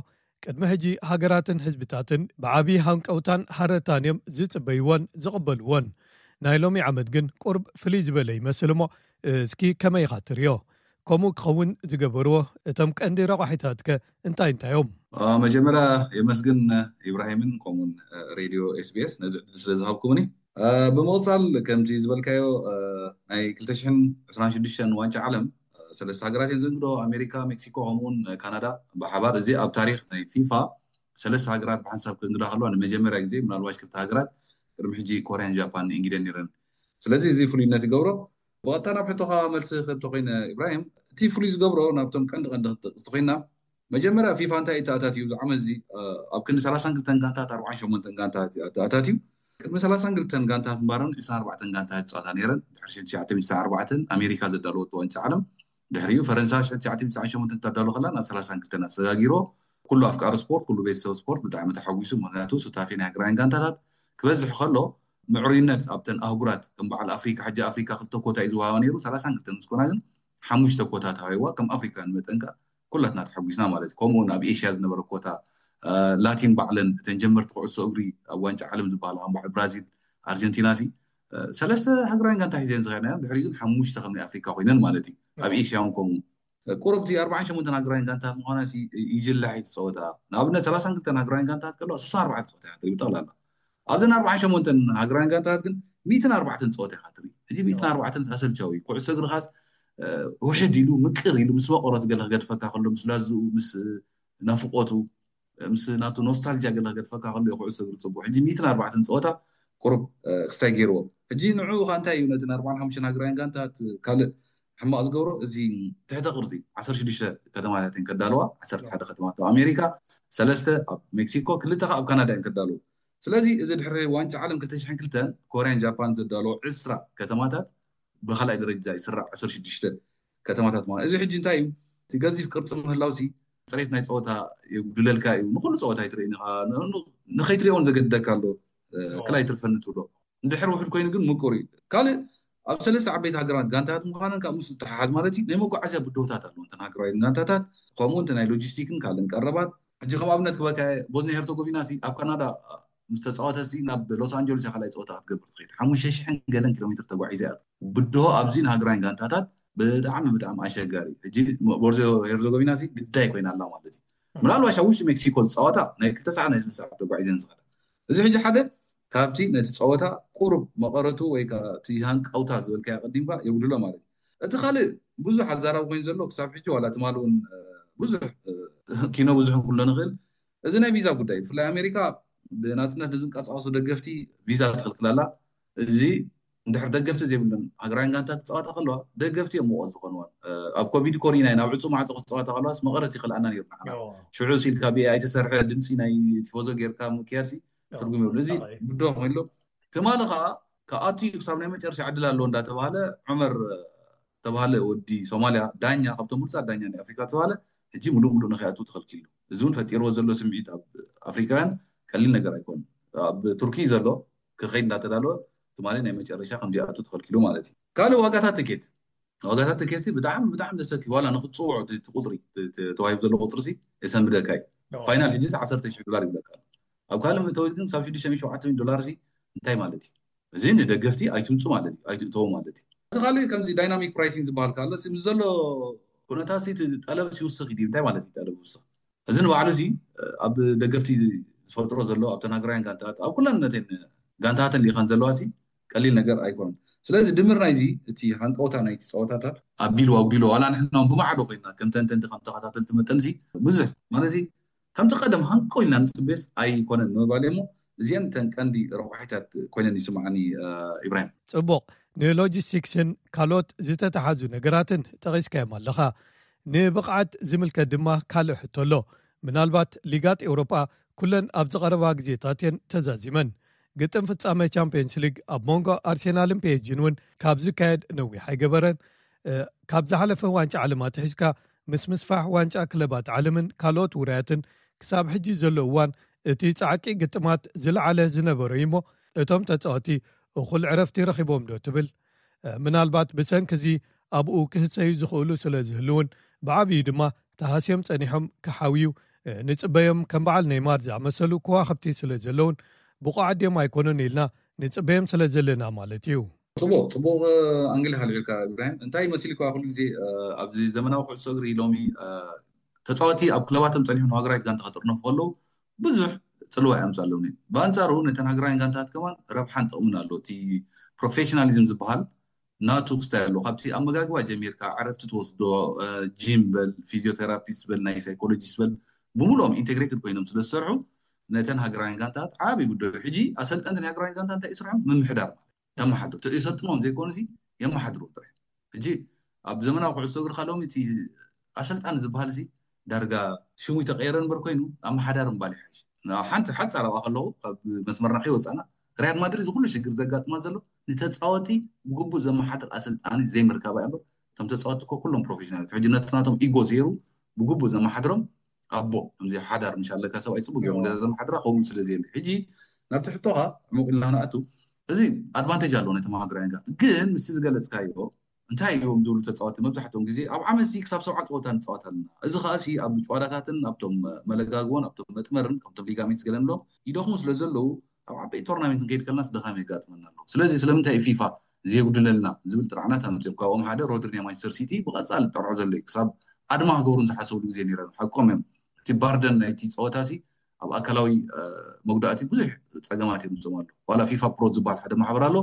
ቅድሚ ሕጂ ሃገራትን ህዝብታትን ብዓብዪ ሃንቀውታን ሃረርታን እዮም ዝጽበይዎን ዝቕበልዎን። ናይ ሎሚ ዓመት ግን ቁርብ ፍልይ ዝበለ ይመስል እሞ፣ እስኪ ከመይ ኢኻ ትርእዮ? ከምኡ ክኸውን ዝገበርዎ እቶም ቀንዲ ረቋሒታትከ እንታይ እንታይ እዮም? አ፣ መጀመርያ የመስግን ኢብራሂምን ከምኡውን፣ አ፣ ሬድዮ ኤስቢኤስ ነዚ ዕድል ስለ ዝሃብኩምኒ። አ፣ ብምቕጻል ከምዚ ዝበልካዮ፣ አ፣ ናይ ክልተ ሽሕን ዕስራን ሽዱሽተን ዋንጫ ዓለም፣ አ፣ ሰለስተ ሃገራት እየን ዘንግዶ፣ ኣሜሪካ፣ ሜክሲኮ ከምኡውን ካናዳ ብሓባር። እዚ ኣብ ታሪኽ ናይ ፊፋ ሰለስተ ሃገራት ብሓንሳብ ክእንግዳ ከለዋ ንመጀመርያ ግዜ፣ ምናልባሽ ክልተ ሃገራት ቅድሚ ሕጂ ኮርያን ጃፓን እንግደን ነይረን። ስለዚ እዚ ፍሉይነት ይገብሮ። ብቐጥታ ናብ ሕቶኻ መልሲ ክህብ ተኮይነ ኢብራሂም፣ እቲ ፍሉይ ዝገብሮ ናብቶም ቀንዲ ቀንዲ ክትጠቅስ ተኮይና፣ መጀመርያ ፊፋ እንታይ እዩ ተኣታትዩ ኣብዚ ዓመት እዚ? አ፣ ኣብ ክንዲ ሰላሳን ክልተን ጋንታት ኣርባዓን ሸሞንተን ጋንታት እዩ ተኣታትዩ። ቅድሚ ሰላሳን ክልተን ጋንታት ምባረን ዕስራን ኣርባዕተን ጋንታት ይጻወታ ነይረን። ድሕሪ ሽሕን ትሽዓተ ሚእትን ስሳን ኣርባዕተን ኣሜሪካ ዘዳለወቶ ዋንጫ ዓለም፣ ድሕሪኡ ፈረንሳ ሽሕን ትሽዓተ ሚእትን ትስዓን ሸሞንተን ክተዳሎ ከላ ናብ ሰላሳን ክልተን ኣሰጋጊሮ። ኩሉ ኣፍቃሪ ስፖርት፣ ኩሉ ቤተሰብ ስፖርት ብጣዕሚ ተሓጒሱ። ምኽንያቱ ሱታፌ ናይ ሃገራውያን ጋንታታት ክበዝሕ ከሎ ምዕሩይነት ኣብተን ኣህጉራት ከም በዓል ኣፍሪካ፣ ሕጂ ኣፍሪካ ክልተ ኮታ እዩ ዝወሃባ ነይሩ፣ ሰላሳን ክልተን ምስ ኮና ግን ሓሙሽተ ኮታ ተዋሂብዋ። ከም ኣፍሪካውያን መጠን ከኣ ኩላትና ተሓጒስና ማለት እዩ። ከምኡ እውን ኣብ ኤሽያ ዝነበረ ኮታ፣ እ፣ ላቲን ባዕለን እተን ጀመርቲ ኩዕሶ እግሪ ኣብ ዋንጫ ዓለም ዝበሃላ ከም በዓል ብራዚል፣ ኣርጀንቲና ሲ፣ እ፣ ሰለስተ ሃገራውያን ጋንታ ሒዘን ዝኸዳ እየን። ድሕሪኡ ግን ሓሙሽተ ከም ናይ ኣፍሪካ ኮይነን ማለት እዩ። ኣብ ኤሽያ እውን ከምኡ። ቁሩብ እቲ ኣርባዓን ሸሞንተን ሃገራውያን ጋንታት ምዃና ሲ ይጅላሕ እዩ እቲ ጸወታ። ንኣብነት ሰላሳን ክልተን ሃገራውያን ጋንታት ከለዋ ስሳን ኣርባዕተ ጸወታ እያ ትርኢ ብጠቕላላ። ኣብዘን ኣርባዓን ሸሞንተን ሃገራውያን ጋንታት ግን ሚእትን ኣርባዕተን ጸወታ ኢኻ ትርኢ። ሕጂ ሚእትን ኣርባዕተን ኣሰልቻዊ እዩ። ኩዕሶ እግርኻስ፣ እ፣ ውሕድ ኢሉ፣ ምቅር ኢሉ፣ ምስ መቐረቱ ገለ ክገድፈካ ከሎ፣ ምስ ላዝኡ፣ ምስ ናፍቆቱ፣ ምስ ናቱ ኖስታልጂያ ገለ ክገድፈካ ከሎ እዩ ኩዕሶ እግሪ ጽቡቕ። ሕጂ ሚእትን ኣርባዕተን ጸወታ ቁሩብ፣ እ፣ ክስታይ ገይርዎ። ሕጂ ንዕኡ ኸኣ እንታይ እዩ ነቲ ኣርባዓን ሓሙሽተን ሃገራውያን ጋንታት ካልእ ሕማቕ ዝገብሮ? እዚ ትሕተ ቅርጺ ዓሰርተ ሽዱሽተ ከተማታት እየን ከዳልዋ፣ ዓሰርተ ሓደ ከተማታት ኣብ ኣሜሪካ፣ ሰለስተ ኣብ ሜክሲኮ፣ ክልተ ኸኣ ኣብ ካናዳ እየን ከዳልዎ። ስለዚ እዚ ድሕሪ ዋንጫ ዓለም ክልተ ሽሕን ክልተን ኮርያን ጃፓን ዘዳለዎ ዕስራ ከተማታት ብኻልኣይ ደረጃ ይስራዕ፣ ዓሰርተ ሽዱሽተ ከተማታት ማለት። እዚ ሕጂ እንታይ እዩ? እቲ ገዚፍ ቅርጺ ምህላውሲ ጽሬት ናይ ጸወታ የጉድለልካ እዩ። ንኹሉ ጸወታ ኣይትርእይን ኢኻ። ን-፣ ን-፣ ንኸይትርእዮ እውን ዘገድደካ ኣሎ። እ፣ ኣዎ። ክላይ ትርፈኒ ትብሎ። እንድሕር ውሕድ ኮይኑ ግን ምቁር እዩ። ካልእ ኣብ ሰለስተ ዓበይቲ ሃገራት ጋንታታት ምዃነን ካብ ምስ ዝተሓሓዝ ማለት እዩ፣ ናይ መጓዓዝያ ብድሆታት ኣለዎ። እንተን ሃገራውያን ጋንታታት፣ ከምኡ እንተ ናይ ሎጂስቲክን ካልእን ቀረባት። ሕጂ ከም ኣብነት ክበካ፣ ቦዝኒያ ሄርቶጎቪና ሲ ኣብ ካናዳ ምስ ተጻወተ ሲ ናብ ሎስ ኣንጀለስ እያ ካልኣይ ጸወታ ክትገብር ትኸይድ። ሓሙሽተ ሽሕን ገለን ኪሎ ሜትር ተጓዒዛ እያ። ብድሆ ኣብዚ ንሃገራውያን ጋንታታት ብጣዕሚ፣ ብጣዕሚ ኣሸጋሪ። ሕጂ ቦዝኒያ ሄርዞጎቪና ሲ ግዳይ ኮይና ኣላ ማለት እዩ። ምናልባሽ ኣብ ውሽጢ ሜክሲኮ ዝጻወታ ናይ ክልተ ሰዓት ናይ ሰለስተ ሰዓት ተጓዒዘን ዝኸዳ። እዚ ሕጂ ሓደ ካብቲ ነቲ ጸወታ ቁሩብ መቐረቱ ወይ ከኣ እቲ ሃንቀውታ ዝበልካዮ ቀዲምካ የጉድሎ ማለት እዩ። እቲ ካልእ ብዙሕ ኣዛራቢ ኮይኑ ዘሎ ክሳብ ሕጂ ዋላ ትማሊ እውን፣ እ፣ ብዙሕ፣ እ፣ ኪኖ ብዙሕ ክንብሎ ንኽእል። እዚ ናይ ቪዛ ጉዳይ እዩ። ብፍላይ ኣሜሪካ ብናጽነት ንዝንቀሳቐሱ ደገፍቲ ቪዛ ትኽልክል ኣላ። እዚ እንድሕር ደገፍቲ ዘይብለን ሃገራውያን ጋንታ ክጻወታ ከለዋ ደገፍቲ እዮም ሙቐት ዝኾንወን። እ፣ ኣብ ኮቪድ ኮሪና ናብ ዕጹ ማዕጾ ክጻወታ ከለዋስ መቐረት ይኽልኣና ነይሩ ንዓና። ሽዑ ሲልካ ብኤኣይ ተሰርሐ ድምጺ ናይ ቲፎዞ ጌርካ ምክያድ ሲ ትርጉም የብሉ። እዚ ብድሆ ኮይኑ ኣሎ። ትማሊ ኸኣ ክኣቱ እዩ ክሳብ ናይ መጨረሻ ዕድል ኣለዎ እንዳተባሃለ ዑመር ተባሃለ ወዲ ሶማልያ ዳኛ ካብቶም ብሉጻት ዳኛ ናይ ኣፍሪካ ዝተባሃለ ሕጂ ምሉእ ምሉእ ንኸይኣቱ ተኸልኪሉ። እዚ እውን ፈጢርዎ ዘሎ ስምዒት ኣብ ኣፍሪካውያን ቀሊል ነገር ኣይኮነን። ኣብ ቱርኪ ዘሎ ክኸይድ እንዳተዳለወ ትማሊ ናይ መጨረሻ ከም ዘይኣቱ ተኸልኪሉ ማለት እዩ። ካልእ ዋጋታት ትኬት፣ ዋጋታት ትኬት ሲ ብጣዕሚ ብጣዕሚ ዘሰኪ ዋላ ንክትፅውዖ እቲ ቁፅሪ ተዋሂቡ ዘሎ ቁፅሪ ሲ የሰንብደካ እዩ። ፋይናል ሕጂ ዓሰርተ ሺሕ ዶላር ይብለካ ኣሎ። ኣብ ካልእ መእተዊ ግን ክሳብ ሽዱሽተ ሚእቲ ሸውዓተ ሚእቲ ዶላር ሲ እንታይ ማለት እዩ? እዚ ንደገፍቲ ኣይትምፁ ማለት እዩ፣ ኣይትእተዉ ማለት እዩ። እቲ ካልእ ከምዚ ዳይናሚክ ፕራይሲንግ ዝበሃል ካሎ ሲ ምስ ዘሎ ኩነታት ሲ እቲ ጠለብ ሲ ይውስኽ እዩ። እንታይ ማለት እዩ ጠለብ ይውስኽ? እዚ ንባዕሉ ሲ ኣብ ደገፍቲ ዝፈጥሮ ዘሎ ኣብተን ሃገራውያን ጋንታት ኣብ ኩለን ነተን ጋንታትን ሊኸን ዘለዋ ሲ ቀሊል ነገር ኣይኮነን። ስለዚ ድምር ናይዚ እቲ ሃንቀውታ ናይቲ ፀወታታት ኣቢሉ ኣጉዲሎ ዋላ ንሕና እውን ብማዕዶ ኮይና ከም ተንተንቲ ከም ተኸታተልቲ መጠን ሲ ብዙሕ ማለት ሲ ከምቲ ቀደም ሃንቆ ኢልና ንፅበዮስ ኣይኮነን ንምባል እሞ፣ እዚአን እተን ቀንዲ ረቋሒታት ኮይነን ይስምዓኒ። ኢብራሂም፣ ፅቡቕ። ንሎጂስቲክስን ካልኦት ዝተተሓዙ ነገራትን ጠቒስካዮም ኣለኻ። ንብቕዓት ዝምልከት ድማ ካልእ ሕቶ ኣሎ። ምናልባት ሊጋት ኤውሮጳ ኩለን ኣብዚ ቀረባ ግዜታት እየን ተዛዚመን። ግጥም ፍጻመ ቻምፒየንስ ሊግ ኣብ መንጎ ኣርሴናልን ፔኤስጂን እውን ካብ ዝካየድ ነዊሕ ኣይገበረን። ካብ ዝሓለፈ ዋንጫ ዓለም ኣትሒዝካ ምስ ምስፋሕ ዋንጫ ክለባት ዓለምን ካልኦት ውራያትን ክሳብ ሕጂ ዘሎ እዋን እቲ ጻዕቂ ግጥማት ዝለዓለ ዝነበረ እዩ እሞ፣ እቶም ተጻወቲ እኹል ዕረፍቲ ረኺቦም ዶ ትብል? ምናልባት ብሰንኪ እዚ ኣብኡ ክህሰዩ ዝኽእሉ ስለ ዝህልውን፣ ብዓብዩ ድማ ተሃስዮም ጸኒሖም ክሓውዩ ንጽበዮም። ከም በዓል ኔይማር ዝኣመሰሉ ከዋኽብቲ ስለ ዘለውን ብቑዓት ድዮም ኣይኮኑን ኢልና ንጽበዮም ስለ ዘለና ማለት እዩ። ጽቡቕ ጽቡቕ ኣንግል ኢኻ ኣልዒልካ ኢብራሂም። እንታይ መሲልካ ኩሉ ግዜ ኣብዚ ዘመናዊ ኩዕሶ እግሪ ሎሚ ተፃወቲ ኣብ ክለባቶም ፀኒሑ ንሃገራዊት ጋንታ ከጥርነፉ ከለዉ ብዙሕ ፅልዋ የምፅኣሎም እዩ። ብኣንፃሩ ነተን ሃገራውያን ጋንታት ከማን ረብሓን ጥቕምን ኣሎ። እቲ ፕሮፌሽናሊዝም ዝበሃል ናቱ ክስታይ ኣሎ። ካብቲ ኣመጋግባ ጀሚርካ ዕረፍቲ ትወስዶ፣ ጂም በል፣ ፊዚዮቴራፒስት በል፣ ናይ ሳይኮሎጂስት በል፣ ብምሉኦም ኢንቴግሬትድ ኮይኖም ስለ ዝሰርሑ ነተን ሃገራውያን ጋንታት ዓብዪ ጉዳዩ። ሕጂ ኣሰልጠንቲ ናይ ሃገራውያን ጋንታ እንታይ እዩ ስርሖም? ምምሕዳር ማለት ተመሓድሩ የሰልጥኖም ዘይኮኑ ሲ የመሓድሩ ጥራሕ። ሕጂ ኣብ ዘመናዊ ኩዕሶ እግሪ ካልኦም እቲ ኣሰልጣኒ ዝበሃል ሲ ዳርጋ ሽሙ ተቀየረ እምበር ኮይኑ ኣመሓዳሪ ምባል ይሓይሽ። ሓንቲ ሓፃር ኣብኣ ከለኹ ካብ መስመርና ከይወፃና ሪያል ማድሪድ ዝኩሉ ሽግር ዘጋጥማ ዘሎ ንተፃወቲ ብግቡእ ዘመሓድር ኣሰልጣኒ ዘይምርካባ እምበር እቶም ተፃወቲ እኮ ኩሎም ፕሮፌሽናል ሕጂ ነቲ ናቶም ኢጎ ዘይሩ ብግቡእ ዘመሓድሮም ኣቦ ከምዚ ሓዳር ምሽ ኣለካ ሰብኣይ ፅቡቅ ገይሩ ገዛ ዘመሓድራ ከውን ስለ ዘየለ ሕጂ ናብቲ ሕቶኻ ዕሙቅ ኢልና ክንኣቱ እዚ ኣድቫንቴጅ ኣለዎ ነቶም ሃገራውያን ጋንታ ግን ምስቲ ዝገለፅካዮ እንታይ እዮም ዝብሉ ተፃወቲ መብዛሕትኦም ግዜ ኣብ ዓመት ክሳብ ሰብዓ ፀወታ ንፃወት ኣለና። እዚ ከዓ ኣብ ጨዋዳታትን ኣብቶም መለጋግቦን ኣብቶም መጥመርን ካብቶም ሊጋሜንትስ ገለ ንብሎም ይደኽሙ ስለ ዘለዉ ኣብ ዓበይቲ ቶርናሜንት ንከይድ ከለናስ ድኻም የጋጥመና ኣሎ። ስለዚ ስለምንታይ ፊፋ ዘየጉድለልና ዝብል ጥርዓናት ኣምፅኦም። ካብኦም ሓደ ሮድሪ ናይ ማንቸስተር ሲቲ ብቐፃሊ ጠርዖ ዘሎ እዩ። ክሳብ ኣድማ ክገብሩ ዝሓሰብሉ ግዜ ነይሮም። ሓቆም እዮም። እቲ ባርደን ናይቲ ፀወታ ሲ ኣብ ኣካላዊ መጉዳእቲ ብዙሕ ፀገማት የምፅኦም ኣሎ። ዋላ ፊፋ ፕሮ ዝበሃል ሓደ ማሕበር ኣሎ።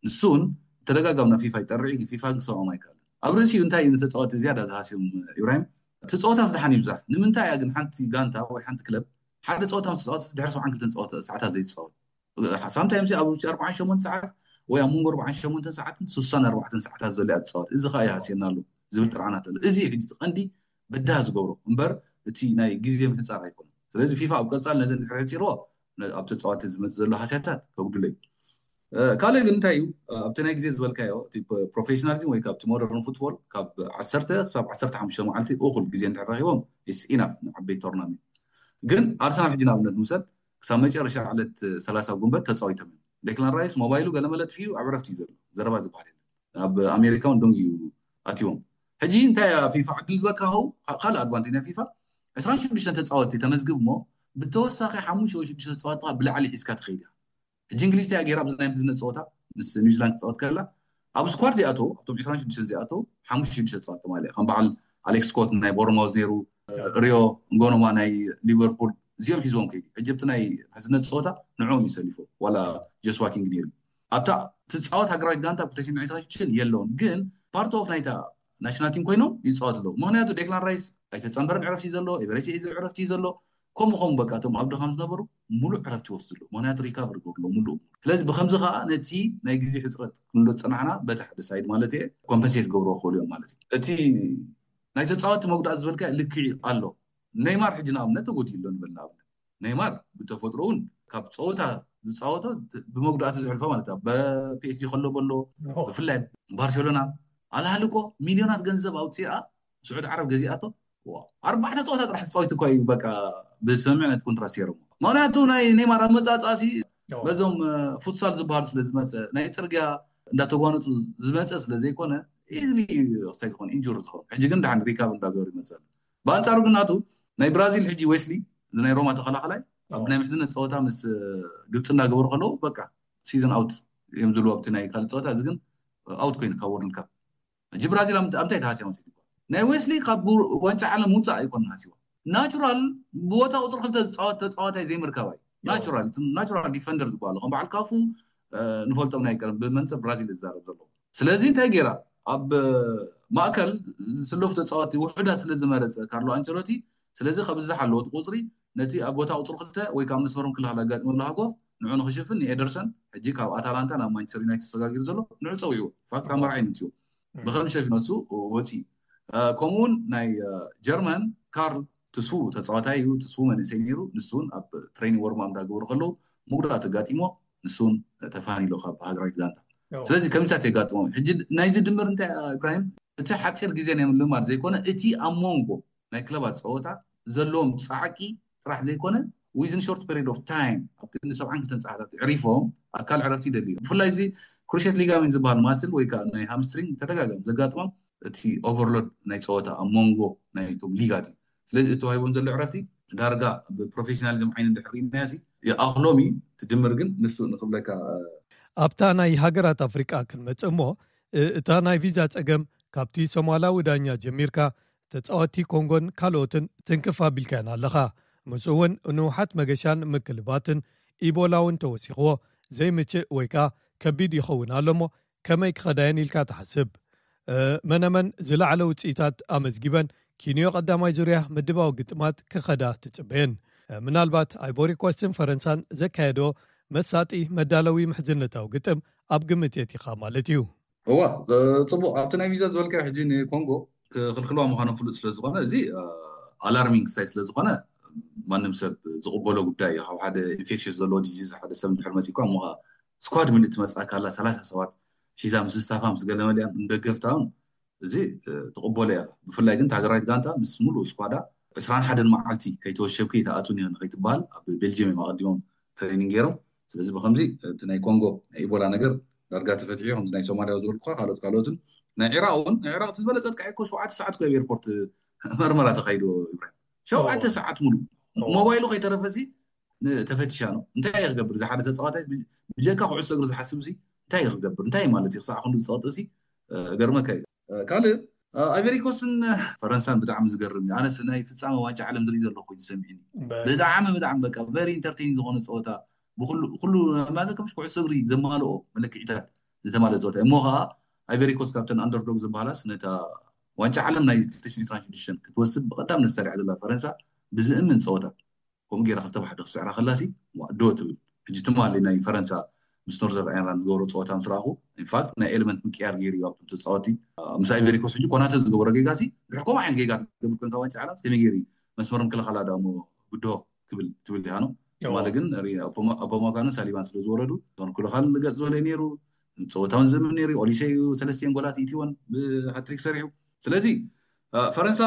ንሱ እውን ተደጋጋሚ ናብ ፊፋ ይጠርዕ እዩ። ፊፋ ክሰምዖም ኣይከኣልን። ኣብ ርእሲኡ እንታይ እዩ ንተፃወቲ ዝያዳ ዝሃስዮም ኢብራሂም? እቲ ፀወታ ዝደሓን ይብዛሕ ንምንታይ እያ ግን ሓንቲ ጋንታ ወይ ሓንቲ ክለብ ሓደ ፀወታ ምስ ተፃወተት ድሕሪ ሰብዓን ክልተን ፀወታ ሰዓታት ዘይትፃወት? ሳምታይምስ ኣብ ውሽጢ ኣርባዓን ሸሞንተ ሰዓት ወይ ኣብ መንጎ ኣርባዓን ሸሞንተ ሰዓትን ስሳን ኣርባዕተን ሰዓታት ዘሎ እያ ትፃወት። እዚ ከዓ ይሃስየና ኣሎ ዝብል ጥርዓናት ኣሎ። እዚ ሕጂ እቲ ቀንዲ በዳህ ዝገብሮ እምበር እቲ ናይ ግዜ ምሕፃር ኣይኮነን። ስለዚ ፊፋ ኣብ ቀፃል ነዚ እንድሕር ሕፂርዎ ኣብ ተፃወቲ ዝመፅእ ዘሎ ሃስያታት ከጉድሎ እዩ። ካልእ ግን እንታይ እዩ ኣብቲ ናይ ግዜ ዝበልካዮ እቲ ፕሮፌሽናሊዝም ወይ ካብቲ ሞደርን ፉትቦል ካብ ዓሰርተ ክሳብ ዓሰርተ ሓሙሽተ መዓልቲ እኹል ግዜ እንድሕር ረኪቦም ኢስ ኢናፍ ንዓበይቲ ቶርናሜንት። ግን ኣርሰናል ሕጂ ንኣብነት ንውሰድ ክሳብ መጨረሻ ዕለት ሰላሳ ጉንበት ተፃዊቶም እዮም። ዴክላን ራይስ ሞባይሉ ገለመለ ጥፊኡ ኣብ ዕረፍቲ እዩ ዘሎ። ዘረባ ዝበሃል የለን። ኣብ ኣሜሪካ እውን ደንጉ እዩ ኣትዎም። ሕጂ እንታይ እያ ፊፋ ዕድል ዝበካ ኸው ካልእ ኣድቫንቴጅ ናይ ፊፋ ዕስራን ሽዱሽተን ተፃወቲ ተመዝግብ እሞ ብተወሳኺ ሓሙሽተ ወይ ሽዱሽተ ተፃወቲ ብላዕሊ ሒዝካ ትኸይድ እያ። ሕጂ እንግሊዝ እያ ገይራ ኣብዚ ናይ ምሕዝነት ፀወታ ምስ ኒውዚላንድ ትፃወት ከላ ኣብ ስኳድ ዚኣተው ኣብቶም ዕስራን ሽዱሽተን ዚኣተው ሓሙሽተ ሽዱሽተ ተፃወቲ ማለት ከም በዓል ኣሌክስ ስኮት ናይ ቦርማውዝ ነይሩ፣ ሪዮ ንጎኖማ ናይ ሊቨርፑል እዚኦም ሒዝዎም ከይዱ። ሕጂ ኣብቲ ናይ ምሕዝነት ፀወታ ንዕኦም እዩ ሰሊፎ ዋላ ጆስዋ ኪንግ ነይሩ። ኣብታ ትፃወት ሃገራዊት ጋንታ ኣብ ክልተ ሽሕን ዕስራን ሽዱሽተን የለውን ግን ፓርት ኦፍ ናይታ ናሽናል ቲም ኮይኖም ይፃወት ኣለዉ። ምክንያቱ ዴክላን ራይስ ኣይተፀንበረን ዕረፍቲ ዘሎ፣ ኤቨሬች ኤዘ ዕረፍቲ ዘሎ፣ ከምኡ ከምኡ በቃ እቶም ኣብ ድኻም ዝነበሩ ሙሉእ ዕረፍቲ ይወስዱ ኣለዉ። ምክንያቱ ሪካቨር ይገብሩ ኣለዉ ሙሉእ። ስለዚ ብከምዚ ከዓ ነቲ ናይ ግዜ ሕፅረት ክንብሎ ዝፀናሕና በቲ ሓደ ሳይድ ማለት እየ ኮምፐንሴት ክገብርዎ ክኽእሉ እዮም ማለት እዩ። እቲ ናይ ተፃወቲ መጉዳእቲ ዝበልካ ልክዕ ኣሎ። ኔይማር ሕጂ ንኣብነት ተጎዲኡ ኣሎ ንበል ንኣብነት ኔይማር ብተፈጥሮ እውን ካብ ፀወታ ዝፃወቶ ብመጉዳእቲ ዝሕልፎ ማለት እዩ። በፒኤስጂ ከሎ በሎ ብፍላይ ባርሴሎና ኣልሃሊ እኮ ሚሊዮናት ገንዘብ ኣውፅኣ ስዑድ ዓረብ ገዚኣቶ ኣርባዕተ ፀወታ ጥራሕ ተፃዊቱ እኳ እዩ በቃ ብስምምዕ ነቲ ኮንትራት ሴሮም። ምክንያቱ ናይ ኔይማር ኣመፃፃእሲ በዞም ፉትሳል ዝበሃሉ ስለ ዝመፀ ናይ ፅርግያ እንዳተጓነፁ ዝመፀ ስለ ዘይኮነ ኢዝሊ ክሳይ ዝኾነ ኢንጁር ዝኾነ ሕጂ ግን ደሓን ሪካቨር እንዳገበሩ ይመፅእ ኣሎ። ብኣንፃሩ ግን ናቱ ናይ ብራዚል ሕጂ ዌስሊ ናይ ሮማ ተኸላኸላይ ኣብ ናይ ምሕዝነት ፀወታ ምስ ግብፂ እንዳገበሩ ከለዉ በቃ ሲዝን ኣውት እዮም ዝብሉ ኣብቲ ናይ ካልእ ፀወታ እዚ ግን ኣውት ኮይኑ ካብ ወርልድ ካፕ ሕጂ ብራዚል ኣብ እንታይ ተሃስያ መሲሉ ናይ ዌስሊ ካብ ዋንጫ ዓለም ውፃእ ኣይኮነ ሃሲዋ ናቹራል ብቦታ ቁፅሪ ክልተ ዝፃወት ተፃዋታይ ዘይምርካባ እዩ ናቹራል ናቹራል ዲፈንደር ዝበሃሉ ከም በዓል ካፉ ንፈልጦም ናይ ቀደም ብመንፅር ብራዚል ዝዛረብ ዘለዎ ስለዚ እንታይ ገይራ ኣብ ማእከል ዝስለፉ ተፃወቲ ውሑዳት ስለ ዝመረፀ ካርሎ ኣንቸሎቲ ስለዚ ከብዝሕ ኣለዎ እቲ ቁፅሪ ነቲ ኣብ ቦታ ቁፅሪ ክልተ ወይ ካብ መስመሮም ክልኻል ኣጋጥሞ ዘሎ ሃጎፍ ንዑ ንክሽፍን ንኤደርሰን ሕጂ ካብ ኣታላንታ ናብ ማንቸስተር ዩናይትድ ተሰጋጊሩ ዘሎ ንዑ ፀዊዕዎ። ፋክት ኣመራዒ ምፅዎ ብከም ሸፊ ነሱ ወፂ። ከምኡውን ናይ ጀርመን ካርል ትስፉ ተፃዋታይ እዩ። ትስፉ መንእሰይ ነይሩ። ንሱን ኣብ ትሬኒንግ ወርማ እንዳገበሩ ከለዉ ምጉዳት ኣጋጢሞ ንሱን ተፋኒሎ ካብ ሃገራዊት ጋንታ። ስለዚ ከምዚታት የጋጥሞም። ሕጂ ናይዚ ድምር እንታይ ኢብራሂም፣ እቲ ሓፂር ግዜ ናይ ምልማድ ዘይኮነ እቲ ኣብ መንጎ ናይ ክለባት ፀወታ ዘለዎም ፃዕቂ ጥራሕ ዘይኮነ within short period of time ኣብ ክንዲ ሰብዓን ክልተን ሰዓታት ዕሪፎም ኣካል ዕረፍቲ ይደልዩ። ብፍላይ እዚ ክሩሼት ሊጋሜንት ዝበሃል ማስል ወይ ከዓ ናይ ሃምስትሪንግ ተደጋጋሚ ዘጋጥሞም እቲ ኦቨርሎድ ናይ ፀወታ ኣብ መንጎ ናይቶም ሊጋት እዩ። ስለዚ እቲ ተዋሂቦም ዘሎ ዕረፍቲ ዳርጋ ብፕሮፌሽናሊዝም ዓይኒ እንድሕር ርኢናዮ ይኣኽሎም እዩ። ትድምር ግን ንሱ ንክብለካ ኣብታ ናይ ሃገራት ኣፍሪቃ ክንመጽእ እሞ እታ ናይ ቪዛ ጸገም ካብቲ ሶማላዊ ዳኛ ጀሚርካ ተጻወቲ ኮንጎን ካልኦትን ትንክፍ ኣቢልካያን ኣለኻ። ምስኡ እውን ንውሓት መገሻን ምክልባትን ኢቦላ እውን ተወሲኽዎ ዘይምችእ ወይ ከኣ ከቢድ ይኸውን ኣሎ እሞ ከመይ ክኸዳየን ኢልካ ትሓስብ? መነመን ዝለዓለ ውፅኢታት ኣመዝጊበን ኪንዮ ቀዳማይ ዙርያ ምድባዊ ግጥማት ክኸዳ ትፅበየን? ምናልባት ኣይቮሪኮስትን ፈረንሳን ዘካየዶ መሳጢ መዳለዊ ምሕዝነታዊ ግጥም ኣብ ግምት የቲኻ ማለት እዩ። እዋ፣ ፅቡቅ። ኣብቲ ናይ ቪዛ ዝበልካ ሕጂ ንኮንጎ ክክልክልዋ ምዃኖም ፍሉጥ ስለዝኾነ እዚ ኣላርሚንግ ሳይ ስለዝኾነ ማንም ሰብ ዝቕበሎ ጉዳይ እዩ። ካብ ሓደ ኢንፌክሽስ ዘለዎ ዲዚዝ ሓደ ሰብ እንድሕር መፂእኳ እሞ ከዓ ስኳድ ምልእቲ መፅኣ ካላ ሰላሳ ሰባት ሒዛ ምስ ስታፋ ምስ ገለመሊያን እንደገፍታውን እዚ ትቕበሎ እያ። ብፍላይ ግን ሃገራዊት ጋንታ ምስ ሙሉእ ስኳዳ ዕስራን ሓደን መዓልቲ ከይተወሸብኪ ይተኣቱን እዮ ንኸይትበሃል ኣብ ቤልጅየም እዮም ኣቐዲሞም ትሬኒንግ ገይሮም። ስለዚ ብከምዚ እቲ ናይ ኮንጎ ናይ ኢቦላ ነገር ዳርጋ ተፈትሑ። ከምዚ ናይ ሶማሊያ ዝበልኩካ ካልኦት ካልኦትን ናይ ዒራቅ እውን ናይ ዒራቅ ዝበለፀት ቃ እኮ ሸውዓተ ሰዓት ኮ ኤርፖርት መርመራ ተካይዶ። ኢብራሂም ሸውዓተ ሰዓት ሙሉ ሞባይሉ ከይተረፈሲ ተፈቲሻ ነው። እንታይ ክገብር እዚ ሓደ ተፃዋታይ ብጀካ ኩዕሶ እግሪ ዝሓስብ ሲ እንታይ ክገብር እንታይ ማለት እዩ? ክሳዕ ክንዱ ዝፀቅጥ ሲ ገርመካ እዩ። ካልእ ኣይቨሪኮስን ፈረንሳን ብጣዕሚ ዝገርም እዩ። ኣነስ ናይ ፍፃመ ዋንጫ ዓለም ዝርኢ ዘለኹ ኮይኑ ሰሚዕኒ። ብጣዕሚ ብጣዕሚ በቃ ቨሪ ኢንተርቴይን ዝኾነ ፀወታ ብኩሉ ኩሉ ማለት ከም ኩዕሶ እግሪ ዘማልኦ መለክዒታት ዝተማለ ፀወታ እሞ ከዓ ኣይቨሪኮስ ካብተን ኣንደርዶግ ዝበሃላስ ነታ ዋንጫ ዓለም ናይ ክልተ ሽሕን ዕስራን ሽዱሽተን ክትወስድ ብቐዳም ነሳሪዓ ዘላ ፈረንሳ ብዝእምን ፀወታ ከምኡ ገይራ ክልተ ባሕዲ ክስዕራ ከላሲ ዶ ትብል። ሕጂ ትማሊ ናይ ፈረንሳ ምስ ኖርዘር ኣየርላንድ ዝገብሮ ፀወታ ምስ ረኣኹ ኢንፋክት ናይ ኤለመንት ምቅያር ገይሩ እዩ ኣብቶም ተፃወቲ ምስ ኣይቨሪኮስ ሕጂ ኮናተ ዝገበሮ ጌጋ ሲ ድሕር ከምኡ ዓይነት ጌጋ ትገብር ኮንካ ዋንጫ ዓለም ከመይ ገይሩ እዩ መስመር ምክልኻላ ዳሞ ብድሆ ክብል ትብል ኢኻ ነው። ትማሊ ግን ኣቦማካንን ሳሊባን ስለ ዝወረዱ እዞን ክልኻል ገፅ ዝበለ ነይሩ። ፀወታውን ዝምን ነይሩ። ኦሊሴ እዩ ሰለስቲኤን ጎላት ኢትወን ብሃትሪክ ሰሪሑ። ስለዚ ፈረንሳ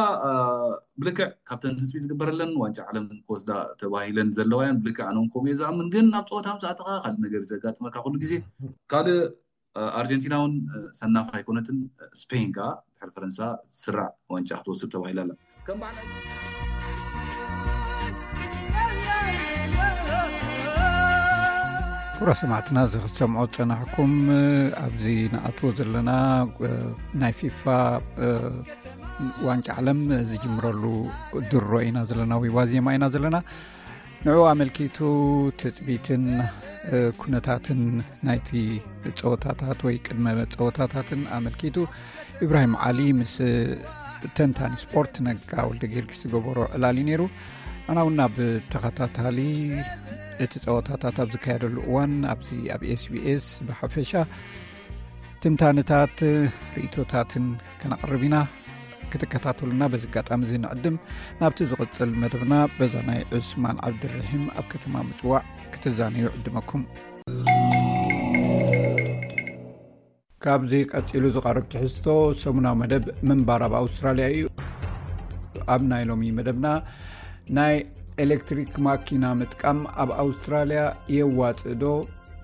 ብልክዕ ካብተን ትፅቢት ዝግበረለን ዋንጫ ዓለም ክወስዳ ተባሂለን ዘለዋ እየን። ብልክዕ ኣነ እውን ከምኡ እየ ዝኣምን። ግን ናብ ፀወታ ምስ ኣተኻ ካልእ ነገር እዩ ዘጋጥመካ ኩሉ ግዜ። ካልእ ኣርጀንቲና እውን ሰናፍ ኣይኮነትን። ስፔን ከዓ ድሕሪ ፈረንሳ ትስራዕ ዋንጫ ክትወስድ ተባሂላ ኣላ። ከም በዓል ክቡራ ሰማዕትና እዚ ክትሰምዖ ዝፀናሕኩም ኣብዚ ንኣትዎ ዘለና ናይ ፊፋ ዋንጫ ዓለም ዝጅምረሉ ድሮ ኢና ዘለና ወይ ዋዜማ ኢና ዘለና። ንዕኡ ኣመልኪቱ ትፅቢትን ኩነታትን ናይቲ ፀወታታት ወይ ቅድመ ፀወታታትን ኣመልኪቱ ኢብራሂም ዓሊ ምስ ተንታኒ ስፖርት ነጋ ወልደ ጊዮርጊስ ዝገበሮ ዕላል እዩ ነይሩ። ኣና እውን ናብ ተኸታታሊ እቲ ፀወታታት ኣብ ዝካየደሉ እዋን ኣብዚ ኣብ ኤስቢኤስ ብሓፈሻ ትንታንታት ርእቶታትን ከነቕርብ ኢና። ክትከታተሉና በዚ ኣጋጣሚ እዚ ንዕድም። ናብቲ ዝቕፅል መደብና በዛ ናይ ዑስማን ዓብድርሒም ኣብ ከተማ ምፅዋዕ ክትዛነዩ ዕድመኩም። ካብዚ ቀፂሉ ዝቐርብ ትሕዝቶ ሰሙናዊ መደብ ምንባር ኣብ ኣውስትራልያ እዩ። ኣብ ናይ ሎሚ መደብና ናይ ኤሌክትሪክ ማኪና ምጥቃም ኣብ ኣውስትራልያ የዋፅእ ዶ?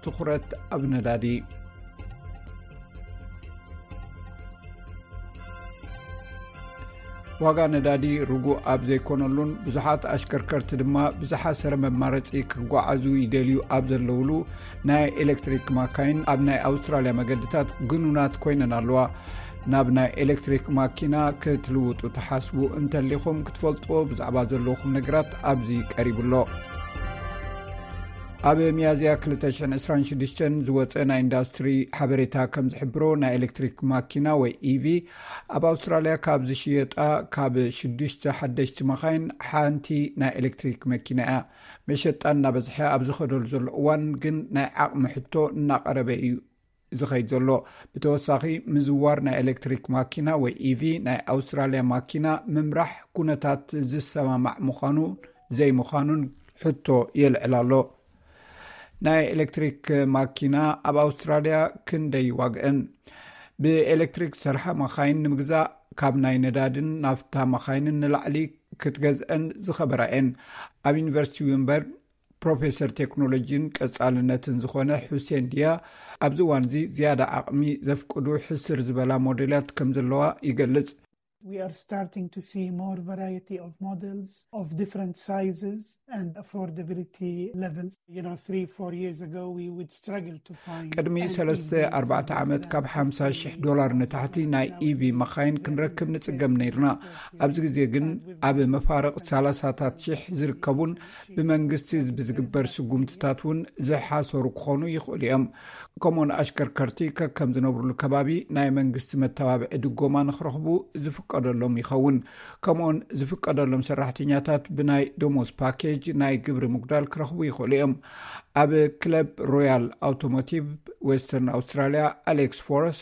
ትኹረት ኣብ ነዳዲ። ዋጋ ነዳዲ ርጉእ ኣብ ዘይኮነሉን ብዙሓት ኣሽከርከርቲ ድማ ብዝሓሰረ መማረፂ ክጓዓዙ ይደልዩ ኣብ ዘለውሉ ናይ ኤሌክትሪክ ማካይን ኣብ ናይ ኣውስትራልያ መገድታት ግኑናት ኮይነን ኣለዋ። ናብ ናይ ኤሌክትሪክ ማኪና ክትልውጡ ትሓስቡ እንተሊኹም ክትፈልጥዎ ብዛዕባ ዘለኹም ነገራት ኣብዚ ቀሪቡ ኣሎ። ኣብ ሚያዝያ ክልተ ሽሕን ዕስራን ሽዱሽተን ዝወፀ ናይ ኢንዱስትሪ ሓበሬታ ከም ዝሕብሮ፣ ናይ ኤሌክትሪክ ማኪና ወይ ኢቪ ኣብ ኣውስትራልያ ካብ ዝሽየጣ ካብ ሽዱሽተ ሓደሽቲ መኻይን ሓንቲ ናይ ኤሌክትሪክ መኪና እያ። መሸጣ እናበዝሐ ኣብ ዝኸደሉ ዘሎ እዋን ግን ናይ ዓቕሚ ሕቶ እናቐረበ እዩ ዝኸይድ ዘሎ። ብተወሳኺ ምዝዋር ናይ ኤሌክትሪክ ማኪና ወይ ኢቪ ናይ ኣውስትራልያ ማኪና ምምራሕ ኩነታት ዝሰማማዕ ምዃኑ ዘይምዃኑን ሕቶ የልዕል ኣሎ። ናይ ኤሌክትሪክ ማኪና ኣብ ኣውስትራልያ ክንደይ ይዋግእን? ብኤሌክትሪክ ዝሰርሓ መኻይን ንምግዛእ ካብ ናይ ነዳድን ናፍታ መኻይንን ንላዕሊ ክትገዝአን ዝኸበራ እየን። ኣብ ዩኒቨርሲቲ ዊምበርግ ፕሮፌሰር ቴክኖሎጂን ቀጻልነትን ዝኾነ ሑሴን ድያ፣ ኣብዚ እዋን እዚ ዝያዳ ዓቕሚ ዘፍቅዱ ሕስር ዝበላ ሞዴላት ከም ዘለዋ ይገልጽ። We are starting to see more variety of models of different sizes and affordability levels. You know, three, four years ago, we would struggle to find. ቅድሚ ሰለስተ ኣርባዕተ ዓመት ካብ ሓምሳ ሽሕ ዶላር ንታሕቲ ናይ ኢቪ መኻይን ክንረክብ ንጽገም ነይርና። ኣብዚ ግዜ ግን ኣብ መፋርቕ ሰላሳታት ሽሕ ዝርከቡን ብመንግስቲ ብዝግበር ስጉምትታት እውን ዝሓሰሩ ክኾኑ ይኽእሉ እዮም። ከምኡውን ኣሽከርከርቲ ከከም ዝነብሩሉ ከባቢ ናይ መንግስቲ መተባብዒ ድጎማ ንክረኽቡ ዝፍቀደሎም ይኸውን። ከምኡውን ዝፍቀደሎም ሰራሕተኛታት ብናይ ደሞዝ ፓኬጅ ናይ ግብሪ ምጉዳል ክረኽቡ ይኽእሉ እዮም። ኣብ ክለብ ሮያል ኣውቶሞቲቭ ዌስተርን ኣውስትራልያ ኣሌክስ ፎረስ፣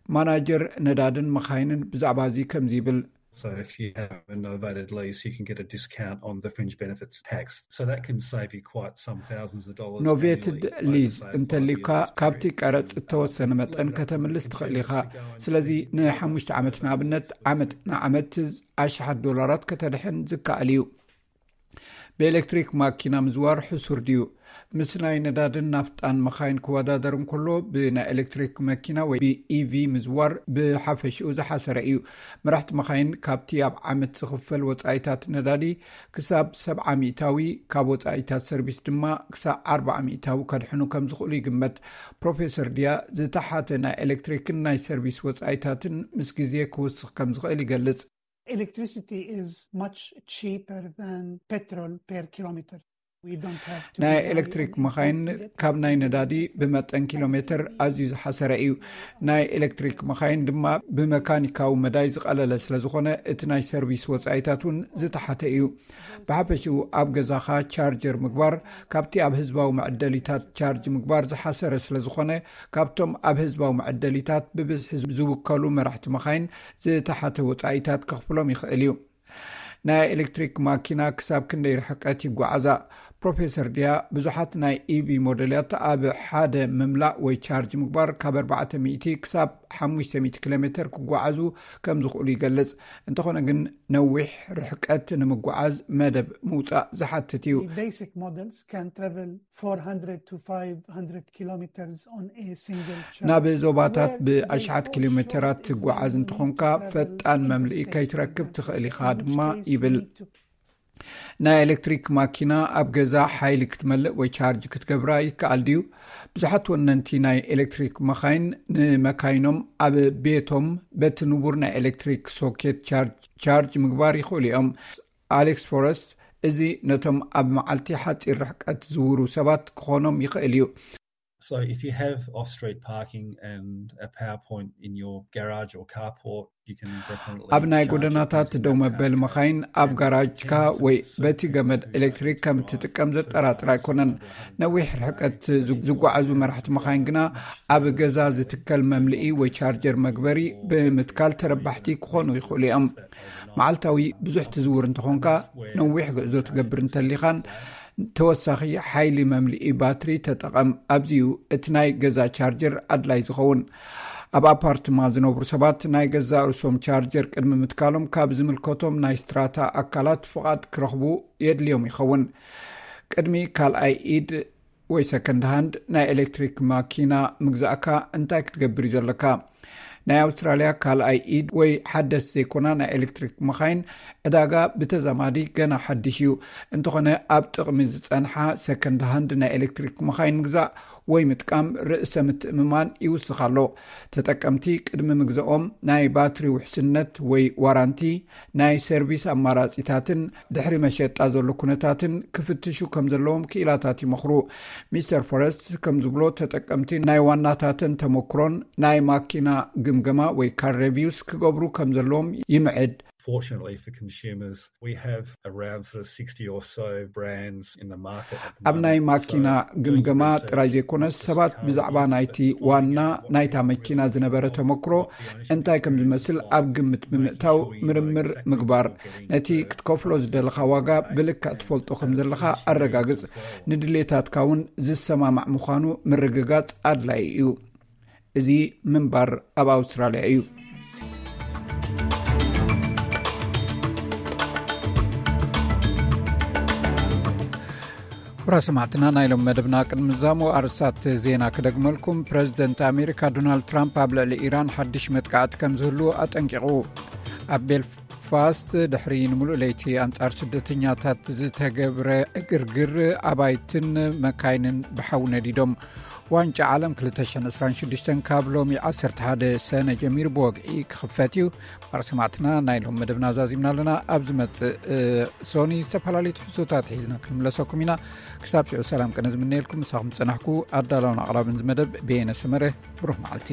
ማናጀር ነዳድን መኻይንን፣ ብዛዕባ እዚ ከምዚ ይብል። So if you have a novated lease, you can get a discount on the fringe benefits tax. So that can save you quite some thousands of dollars. ኖቬትድ ሊዝ እንተሊካ ካብቲ ቀረጽ እተወሰነ መጠን ከተምልስ ትኽእል ኢኻ። ስለዚ ንሓሙሽተ ዓመት ንኣብነት ዓመት ንዓመት ኣሽሓት ዶላራት ከተድሕን ዝከኣል እዩ። ብኤሌክትሪክ ማኪና ምዝዋር ሕሱር ድዩ? ምስ ናይ ነዳድን ናፍጣን መኻይን ክወዳደር እንከሎ፣ ብናይ ኤሌክትሪክ መኪና ወይ ብኢቪ ምዝዋር ብሓፈሽኡ ዝሓሰረ እዩ። መራሕቲ መኻይን ካብቲ ኣብ ዓመት ዝኽፈል ወጻኢታት ነዳዲ ክሳብ ሰብዓ ሚእታዊ፣ ካብ ወጻኢታት ሰርቪስ ድማ ክሳብ ኣርባዓ ሚእታዊ ከድሕኑ ከም ዝኽእሉ ይግመት። ፕሮፌሰር ድያ፣ ዝተሓተ ናይ ኤሌክትሪክን ናይ ሰርቪስ ወጻኢታትን ምስ ግዜ ክውስኽ ከም ዝኽእል ይገልጽ። Electricity is much cheaper than petrol per kilometer. ናይ ኤሌክትሪክ መኻይን ካብ ናይ ነዳዲ ብመጠን ኪሎ ሜትር ኣዝዩ ዝሓሰረ እዩ። ናይ ኤሌክትሪክ መኻይን ድማ ብመካኒካዊ መዳይ ዝቐለለ ስለ ዝኾነ፣ እቲ ናይ ሰርቪስ ወጻኢታት እውን ዝተሓተ እዩ። ብሓፈሽኡ ኣብ ገዛኻ ቻርጀር ምግባር ካብቲ ኣብ ህዝባዊ መዕደሊታት ቻርጅ ምግባር ዝሓሰረ ስለ ዝኾነ፣ ካብቶም ኣብ ህዝባዊ መዕደሊታት ብብዝሒ ዝውከሉ መራሕቲ መኻይን ዝተሓተ ወጻኢታት ከኽፍሎም ይኽእል እዩ። ናይ ኤሌክትሪክ ማኪና ክሳብ ክንደይ ርሕቀት ይጓዓዛ? ፕሮፌሰር ድያ፣ ብዙሓት ናይ ኢቪ ሞዴላት ኣብ ሓደ ምምላእ ወይ ቻርጅ ምግባር ካብ ኣርባዕተ ሚእቲ ክሳብ ሓሙሽተ ሚእቲ ኪሎ ሜትር ክጓዓዙ ከም ዝኽእሉ ይገልጽ። እንተኾነ ግን፣ ነዊሕ ርሕቀት ንምጓዓዝ መደብ ምውጻእ ዝሓትት እዩ። Basic models can travel four hundred to five hundred kilometers on a single charge. ናብ ዞባታት ብኣሽሓት ኪሎ ሜትራት ትጓዓዝ እንተኾንካ፣ ፈጣን መምልኢ ከይትረክብ ትኽእል ኢኻ ድማ ይብል። ናይ ኤሌክትሪክ ማኪና ኣብ ገዛ ሓይሊ ክትመልእ ወይ ቻርጅ ክትገብራ ይከኣል ድዩ? ብዙሓት ወነንቲ ናይ ኤሌክትሪክ መኻይን ንመካይኖም ኣብ ቤቶም በቲ ንቡር ናይ ኤሌክትሪክ ሶኬት ቻርጅ፣ ቻርጅ ምግባር ይኽእሉ እዮም። ኣሌክስ ፎረስት፣ እዚ ነቶም ኣብ መዓልቲ ሓጺር ርሕቀት ዝውሩ ሰባት ክኾኖም ይኽእል እዩ። So if you have off-street parking and a power point in your garage or carport, you can definitely ኣብ ናይ charge ጎደናታት using ደው that መበሊ power መኻይን ኣብ ጋራጅካ ወይ በቲ ገመድ ኤሌክትሪክ ከም እትጥቀም ዘጠራጥር ኣይኮነን። ነዊሕ ርሕቀት ዝ- ዝጓዓዙ መራሕቲ መኻይን ግና ኣብ ገዛ ዝትከል መምልኢ ወይ ቻርጀር መግበሪ ብምትካል ተረባሕቲ ክኾኑ ይኽእሉ እዮም። መዓልታዊ ብዙሕ ትዝውር እንተኾንካ፣ ነዊሕ ጉዕዞ ትገብር እንተሊኻን፣ ተወሳኺ ሓይሊ መምልኢ ባትሪ ተጠቐም። ኣብዚዩ እቲ ናይ ገዛ ቻርጀር ኣድላይ ዝኸውን። ኣብ ኣፓርትማ ዝነብሩ ሰባት ናይ ገዛ ርእሶም ቻርጀር ቅድሚ ምትካሎም ካብ ዝምልከቶም ናይ ስትራታ ኣካላት ፍቓድ ክረኽቡ የድልዮም ይኸውን። ቅድሚ ካልኣይ ኢድ ወይ ሰከንድ ሃንድ ናይ ኤሌክትሪክ ማኪና ምግዛእካ እንታይ ክትገብር እዩ ዘለካ? ናይ ኣውስትራልያ ካልኣይ ኢድ ወይ ሓደስቲ ዘይኮና ናይ ኤሌክትሪክ መኻይን ዕዳጋ ብተዛማዲ ገና ሓድሽ እዩ። እንተኾነ፣ ኣብ ጥቕሚ ዝጸንሓ ሰከንድ ሃንድ ናይ ኤሌክትሪክ መኻይን ምግዛእ ወይ ምጥቃም ርእሰ ምትእምማን ይውስኽ ኣሎ። ተጠቀምቲ ቅድሚ ምግዛኦም ናይ ባትሪ ውሕስነት ወይ ዋራንቲ፣ ናይ ሰርቪስ ኣማራጺታትን ድሕሪ መሸጣ ዘሎ ኩነታትን ክፍትሹ ከም ዘለዎም ክኢላታት ይመኽሩ። ሚስተር ፎረስት ከም ዝብሎ፣ ተጠቀምቲ ናይ ዋናታተን ተመክሮን ናይ ማኪና ግምገማ ወይ ካር ሬቪውስ ክገብሩ ከም ዘለዎም ይምዕድ። Fortunately for consumers, we have around sort of sixty or so brands in the market. ኣብ ናይ ማኪና ግምገማ ጥራይ ዘይኮነስ፣ ሰባት ብዛዕባ ናይቲ ዋና ናይታ መኪና ዝነበረ ተመክሮ እንታይ ከም ዝመስል ኣብ ግምት ብምእታው ምርምር ምግባር፣ ነቲ ክትከፍሎ ዝደለኻ ዋጋ ብልክዕ ትፈልጦ ከም ዘለኻ ኣረጋግጽ። ንድሌታትካ እውን ዝሰማማዕ ምዃኑ ምርግጋጽ ኣድላይ እዩ። እዚ ምንባር ኣብ ኣውስትራልያ እዩ። ኩቡራት ሰማዕትና፣ ናይ ሎም መደብና ቅድሚ ምዛሙ ኣርስታት ዜና ክደግመልኩም። ፕረዚደንት ኣሜሪካ ዶናልድ ትራምፕ ኣብ ልዕሊ ኢራን ሓድሽ መጥቃዕቲ ከም ዝህሉ ኣጠንቂቑ። ኣብ ቤልፋስት ድሕሪ ንምሉእ ለይቲ ኣንጻር ስደተኛታት ዝተገብረ ዕግርግር፣ ኣባይትን መካይንን ብሓዊ ነዲዶም። ዋንጫ ዓለም ክልተ ሽሕን ዕስራን ሽዱሽተን ካብ ሎሚ ዓሰርተ ሓደ ሰነ ጀሚሩ ብወግዒ ክኽፈት እዩ። ማር ሰማዕትና፣ ናይ ሎም መደብና ዛዚምና ኣለና። ኣብ ዝመጽእ ሶኒ ዝተፈላለዩ ትሕዝቶታት ሒዝና ክንምለሰኩም ኢና። ክሳብ ሽዑ ሰላም ቅነ ዝምነየልኩም፣ ምሳኹም ዝጸናሕኩ ኣዳላውን ኣቕራብን ዝመደብ ቤነ ሰመረ። ብሩኽ መዓልቲ።